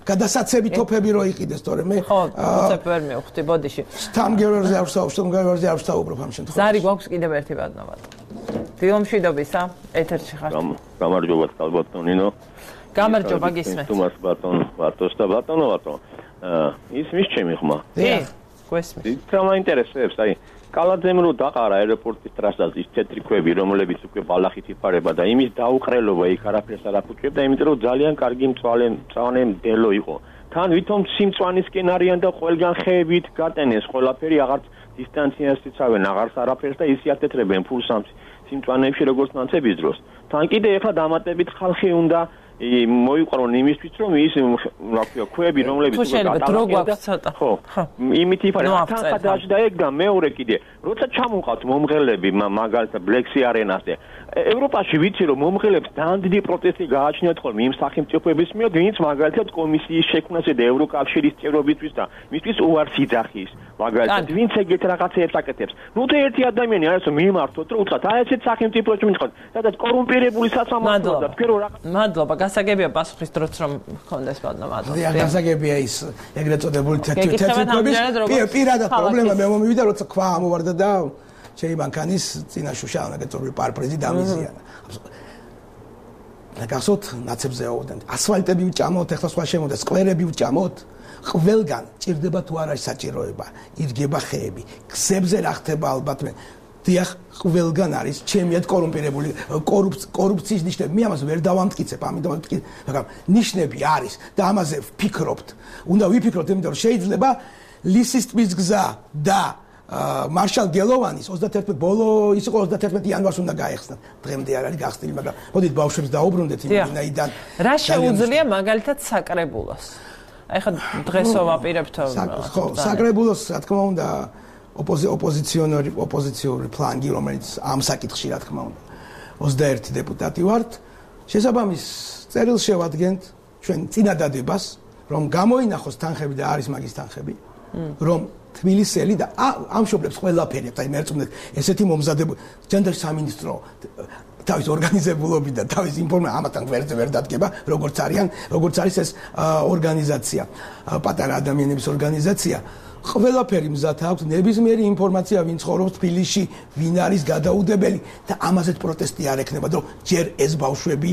გადასაცები თოფები რო იყიდეს, თორე მე ხო, უცებ ვერ მივხვდი ბოდიში. სტამგერზე არ ვსაუბრობ, სტამგერზე არ ვსაუბრობ ამ შემთხვევაში. ზარი გვაქვს კიდევ ერთი ბატონობა. დილომშვიდობისა, ეთერში ხართ. გამარჯობა, ბატონინო. გამარჯობა, გისმენთ. თუმას ბატონ, ბატონს და ბატონო ბატონ. ის მის ჩემი ხმა. კი, გვესმის. იქ რა მაინტერესებს, აი კალაძემ რო დაყარა აეროპორტის ტრასაზე ის თეთრი ქვები, რომლებიც უკვე ბალახით იფარება და იმის დაუყრელობა იქ არაფერს არ აფუჭებდა, იმიტომ რომ ძალიან კარგი მწვალე მწვანე მდელო იყო. თან ვითომ სიმწვანისკენ არიან და ყველგან ხეებით გატენეს ყველაფერი, აღარც დისტანციას იცავენ, აღარც არაფერს და ისე ათეთრებენ ფულს ამ სიმწვანეებში როგორც ნაცების დროს. თან კიდე ეხლა დამატებით ხალხი უნდა მოიყვარონ იმისთვის რომ ის რა ქვია ქვები რომლებიც უკვე ხო იმით იფარება თან დაჭდა ეგ და მეორე კიდე როცა ჩამოყავთ მომღერლები მაგალითად ბლექსი არენაზე ევროპაში ვიცი რომ მომღერლებს ძალიან დიდი პროტესტი გააჩნიათ ხოლმე იმ სახელმწიფოების მიერ ვინც მაგალითად კომისიის შექმნაზე და ევროკავშირის წევრობისთვის და მისთვის უარს იძახის მაგალითად ვინც ეგეთ რაღაცებს აკეთებს ნუ თუ ერთი ადამიანი არის რომ მიმართოთ რომ უცხოთ აი ესეთ სახელმწიფოში მითხოთ სადაც კორუმპირებული სასამართლოა და თქვენ რა მადლობა გასაგებია პასუხის დროც რომ გქონდეს ბატონო მადლობა დიახ გასაგებია ის ეგრეთ წოდებული თეთრი ქვების პირადად პრობლემა მე მომივიდა როცა ქვა ამოვარდა და შეიმანქანის წინაშუშა ნაკეთობი პარპრეზი დამიზიანა. და გახსოვთ ნაცებზე აუდენ. ასფალტები ვჭამოთ, ეხლა სხვა შემოდა, სკვერები ვჭამოთ. ყველგან ჭირდება თუ არა საჭიროება, იდგება ხეები. გზებზე რა ხდება ალბათ მე. დიახ, ყველგან არის ჩემიად კორუმპირებული კორუფციის ნიშნები. მე ამას ვერ დავამტკიცებ, ამიტომ ვიტყვი, მაგრამ ნიშნები არის და ამაზე ვფიქრობთ. უნდა ვიფიქროთ, იმიტომ რომ შეიძლება ლისის ტბის გზა და მარშალ გელოვანის ოცდაათი ბოლო ის იყო ოცდაათი იანვარს უნდა გაეხსნათ. დღემდე არ არის გახსნილი, მაგრამ მოდით ბავშვებს დაუბრუნდეთ იმიდან. რა შეუძლია მაგალითად საკრებულოს? აი ხა დღესო ვაპირებთ ხო, საკრებულოს რა თქმა უნდა ოპოზიციონერი ოპოზიციური ფლანგი, რომელიც ამ საკითხში რა თქმა უნდა ოცდაერთი დეპუტატი ვართ. შესაბამის წერილს შევადგენთ ჩვენ წინადადებას, რომ გამოინახოს თანხები და არის მაგის თანხები, რომ თბილისელი და ამშობლებს ყველაფერი აი მერწმუნეთ ესეთი მომზადებული ჯანდაცვის სამინისტრო თავის ორგანიზებულობით და თავის ინფორმაციით ამათან ვერზე ვერ დადგება როგორც არიან როგორც არის ეს ორგანიზაცია პატარა ადამიანების ორგანიზაცია ყველაფერი მზად აქვს ნებისმიერი ინფორმაცია ვინ ცხოვრობს თბილისში ვინ არის გადაუდებელი და ამაზეც პროტესტი არ ექნება რომ ჯერ ეს ბავშვები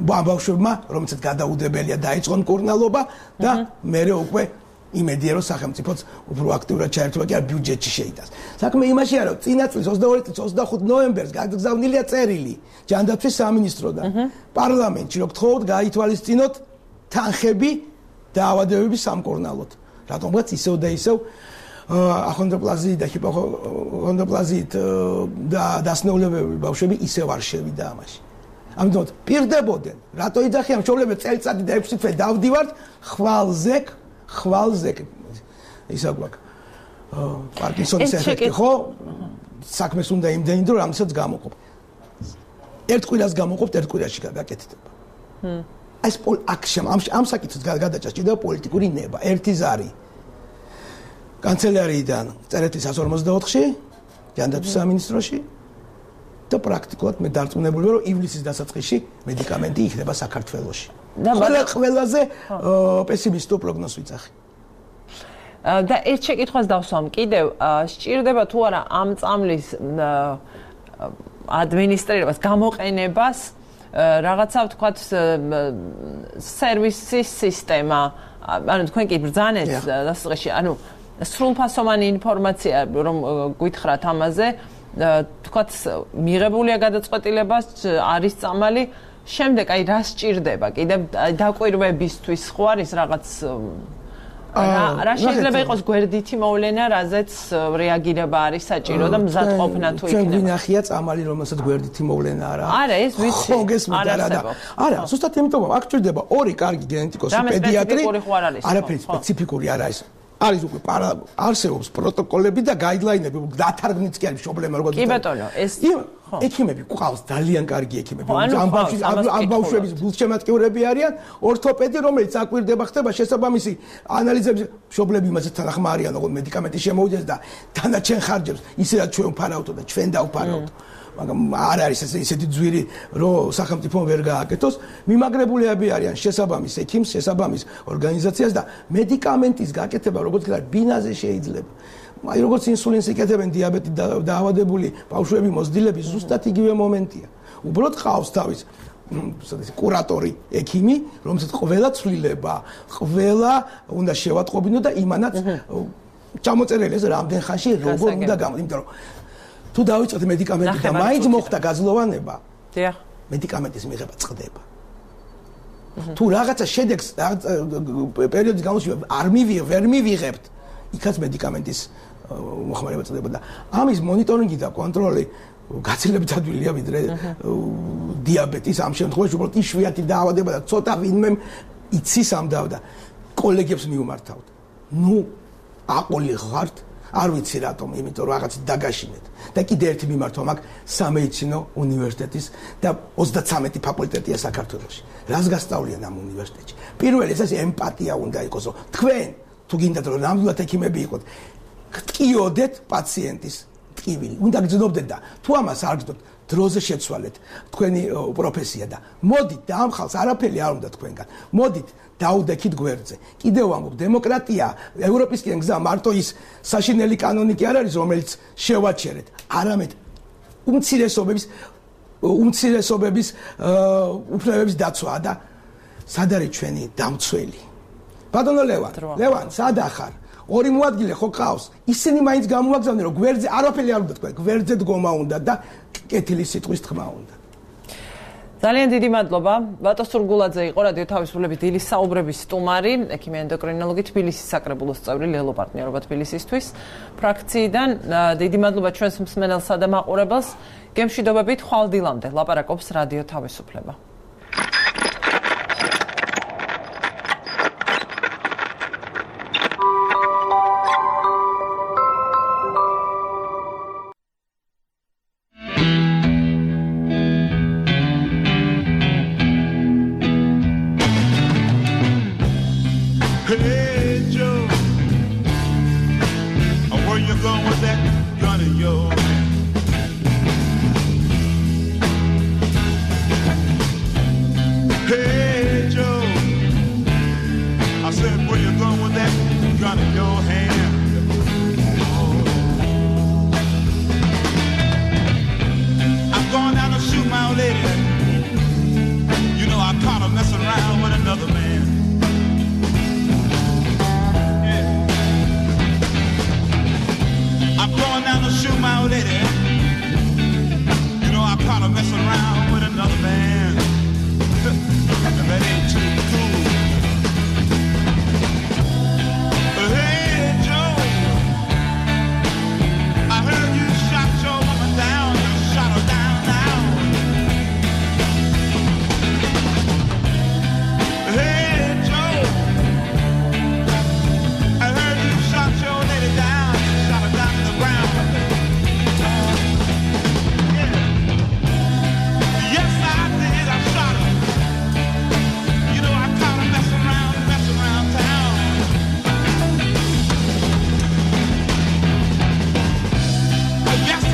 ბავშვებმა რომელსაც გადაუდებელია დაიწყონ კურნალობა და მერე უკვე იმედია რომ სახელმწიფოც უფრო აქტიურად ჩაერთვა კი არ ბიუჯეტში შეიტანს. საქმე იმაშია რომ წინა წლის ოცდაორი წლის ოცდახუთი ნოემბერს გაგზავნილია წერილი ჯანდაცვის სამინისტროდან პარლამენტში რომ გთხოვთ გაითვალისწინოთ თანხები დაავადებების სამკურნალოდ. რატომღაც ისევ და ისევ ახონდოპლაზიით და ჰიპოქონდოპლაზიით და დასნეულებები ბავშვები ისევ არ შევიდა ამაში. ამიტომ პირდებოდნენ რატო იძახიან მშობლები წელიწადი და ექვსი თვე დავდივართ ხვალზე ხვალზე ისა გვაქვს პარკინსონის ეფექტი ხო საქმეს უნდა იმდენი დრო რამისაც გამოყოფ ერთ კვირას გამოყოფთ ერთ კვირაში გაკეთდება ეს პოლ აქშემ ამ ამ საკითხს გადაჭას ჭირდება პოლიტიკური ნება ერთი ზარი კანცელერიიდან წერეთი εκατს ორმოცდაოთხში ჯანდაცვის სამინისტროში და პრაქტიკულად მე დარწმუნებული ვარ რომ ივლისის დასაწყისში მედიკამენტი იქნება საქართველოში და ყველაზე პესიმისტურ პროგნოზს ვიძახი. და ერთ შეკითხვას დავსვამ კიდევ, სჭირდება თუ არა ამ წამლის ადმინისტრირებას, გამოყენებას რაღაცა ვთქვათ სერვისის სისტემა, ანუ თქვენ კი ბრძანეთ დასაწყისში, ანუ სრულფასოვანი ინფორმაცია რომ გითხრათ ამაზე, ვთქვათ მიღებულია გადაწყვეტილება, არის წამალი შემდეგ აი რა სჭირდება კიდევ დაკვირვებისთვის ხო არის რაღაც რა შეიძლება იყოს გვერდითი მოვლენა, რაზეც რეაგირება არის საჭირო და მზადყოფნა თუ იქნება. ჩვენ გვინახია წამალი, რომელსაც გვერდითი მოვლენა არა. არა, ეს ვიცი. არა, არა, ზუსტად იმიტომ, აქ ჭირდება ორი კარგი გენეტიკოსი, პედიატრი. არაფერი სპეციფიკური არ არის. არის უკვე არსებობს პროტოკოლები და გაიდლაინები, დათარგმნიც კი არის პრობლემა როგორც. კი ბატონო, ეს ექიმები ყავს ძალიან კარგი ექიმები. ამ ბავშვების გულშემატკივრები არიან, ორთოპედი, რომელიც აკვირდება, ხდება შესაბამისი ანალიზების მშობლები იმაზე თანახმა არიან, როგორც მედიკამენტი შემოვიდეს და დანარჩენ ხარჯებს ისედაც ჩვენ ვფარავთო და ჩვენ დავფარავთ. მაგრამ არ არის ესეთი ძვირი, რომ სახელმწიფომ ვერ გააკეთოს. მიმაგრებულები არიან შესაბამის ექიმს, შესაბამის ორგანიზაციას და მედიკამენტის გაკეთება, როგორც ვთქვათ, ბინაზე შეიძლება. აი როგორც ინსულინს იკეთებენ დიაბეტი დაავადებული ბავშვები, მოზრდილები, ზუსტად იგივე მომენტია. უბრალოდ ყავს თავის კურატორი, ექიმი, რომელსაც ყველა ცვლილება, ყველა უნდა შევატყობინო და იმანაც ჩამოწერელი ეს რამდენ ხანში როგორ უნდა გამოდი, იმიტომ რომ თუ დავიწყოთ მედიკამენტი და მაინც მოხდა გაძლოვანება, დიახ, მედიკამენტის მიღება წყდება. თუ რაღაცა შედეგს პერიოდის განმავლობაში არ მივიღებთ, ვერ მივიღებთ, იქაც მედიკამენტის მოხმარება წდება და ამის მონიტორინგი და კონტროლი გაცილებით ადვილია ვიდრე დიაბეტის ამ შემთხვევაში უბრალოდ იშვიათი დაავადება და ცოტა ვინმე იცის ამ და კოლეგებს მიუმართავთ. ნუ აყოლი ხართ, არ ვიცი რატომ, იმიტომ რომ რაღაც დაგაშინეთ. და კიდე ერთი მიმართვა მაქვს სამედიცინო უნივერსიტეტის და ოცდათრამეტი ფაკულტეტია საქართველოში. რას გასწავლიან ამ უნივერსიტეტში? პირველი ეს ემპათია უნდა იყოს, რომ თქვენ თუ გინდათ რომ ნამდვილად ექიმები იყოთ, გტკიოდეთ პაციენტის ტკივილი. უნდა გძნობდეთ და თუ ამას არ გძნობთ, დროზე შეცვალეთ თქვენი პროფესია და მოდით და ამ ხალხს არაფერი არ უნდა თქვენგან. მოდით დაუდექით გვერდზე. კიდევ ვამბობ, დემოკრატია, ევროპისკენ გზა მარტო ის საშინელი კანონი კი არ არის, რომელიც შევაჩერეთ. არამედ უმცირესობების უმცირესობების უფლებების დაცვა და სად არის ჩვენი დამცველი? ბატონო ლევან, ლევან, სად ახარ? ორი მოადგილე ხო ყავს? ისინი მაინც გამოაგზავნენ, რომ გვერდზე არაფერი არ უნდა თქვენ, გვერდზე დგომა უნდა და კეთილი სიტყვის თქმა უნდა. ძალიან დიდი მადლობა. ბატონ სურგულაძე იყო რადიო თავისუფლების დილის საუბრების სტუმარი, ექიმი ენდოკრინოლოგი, თბილისის საკრებულოს წევრი, ლელო პარტნიორობა თბილისისთვის ფრაქციიდან. დიდი მადლობა ჩვენს მსმენელსა და მაყურებელს. გემშვიდობებით ხვალ დილამდე ლაპარაკობს რადიო თავისუფლება. Yes.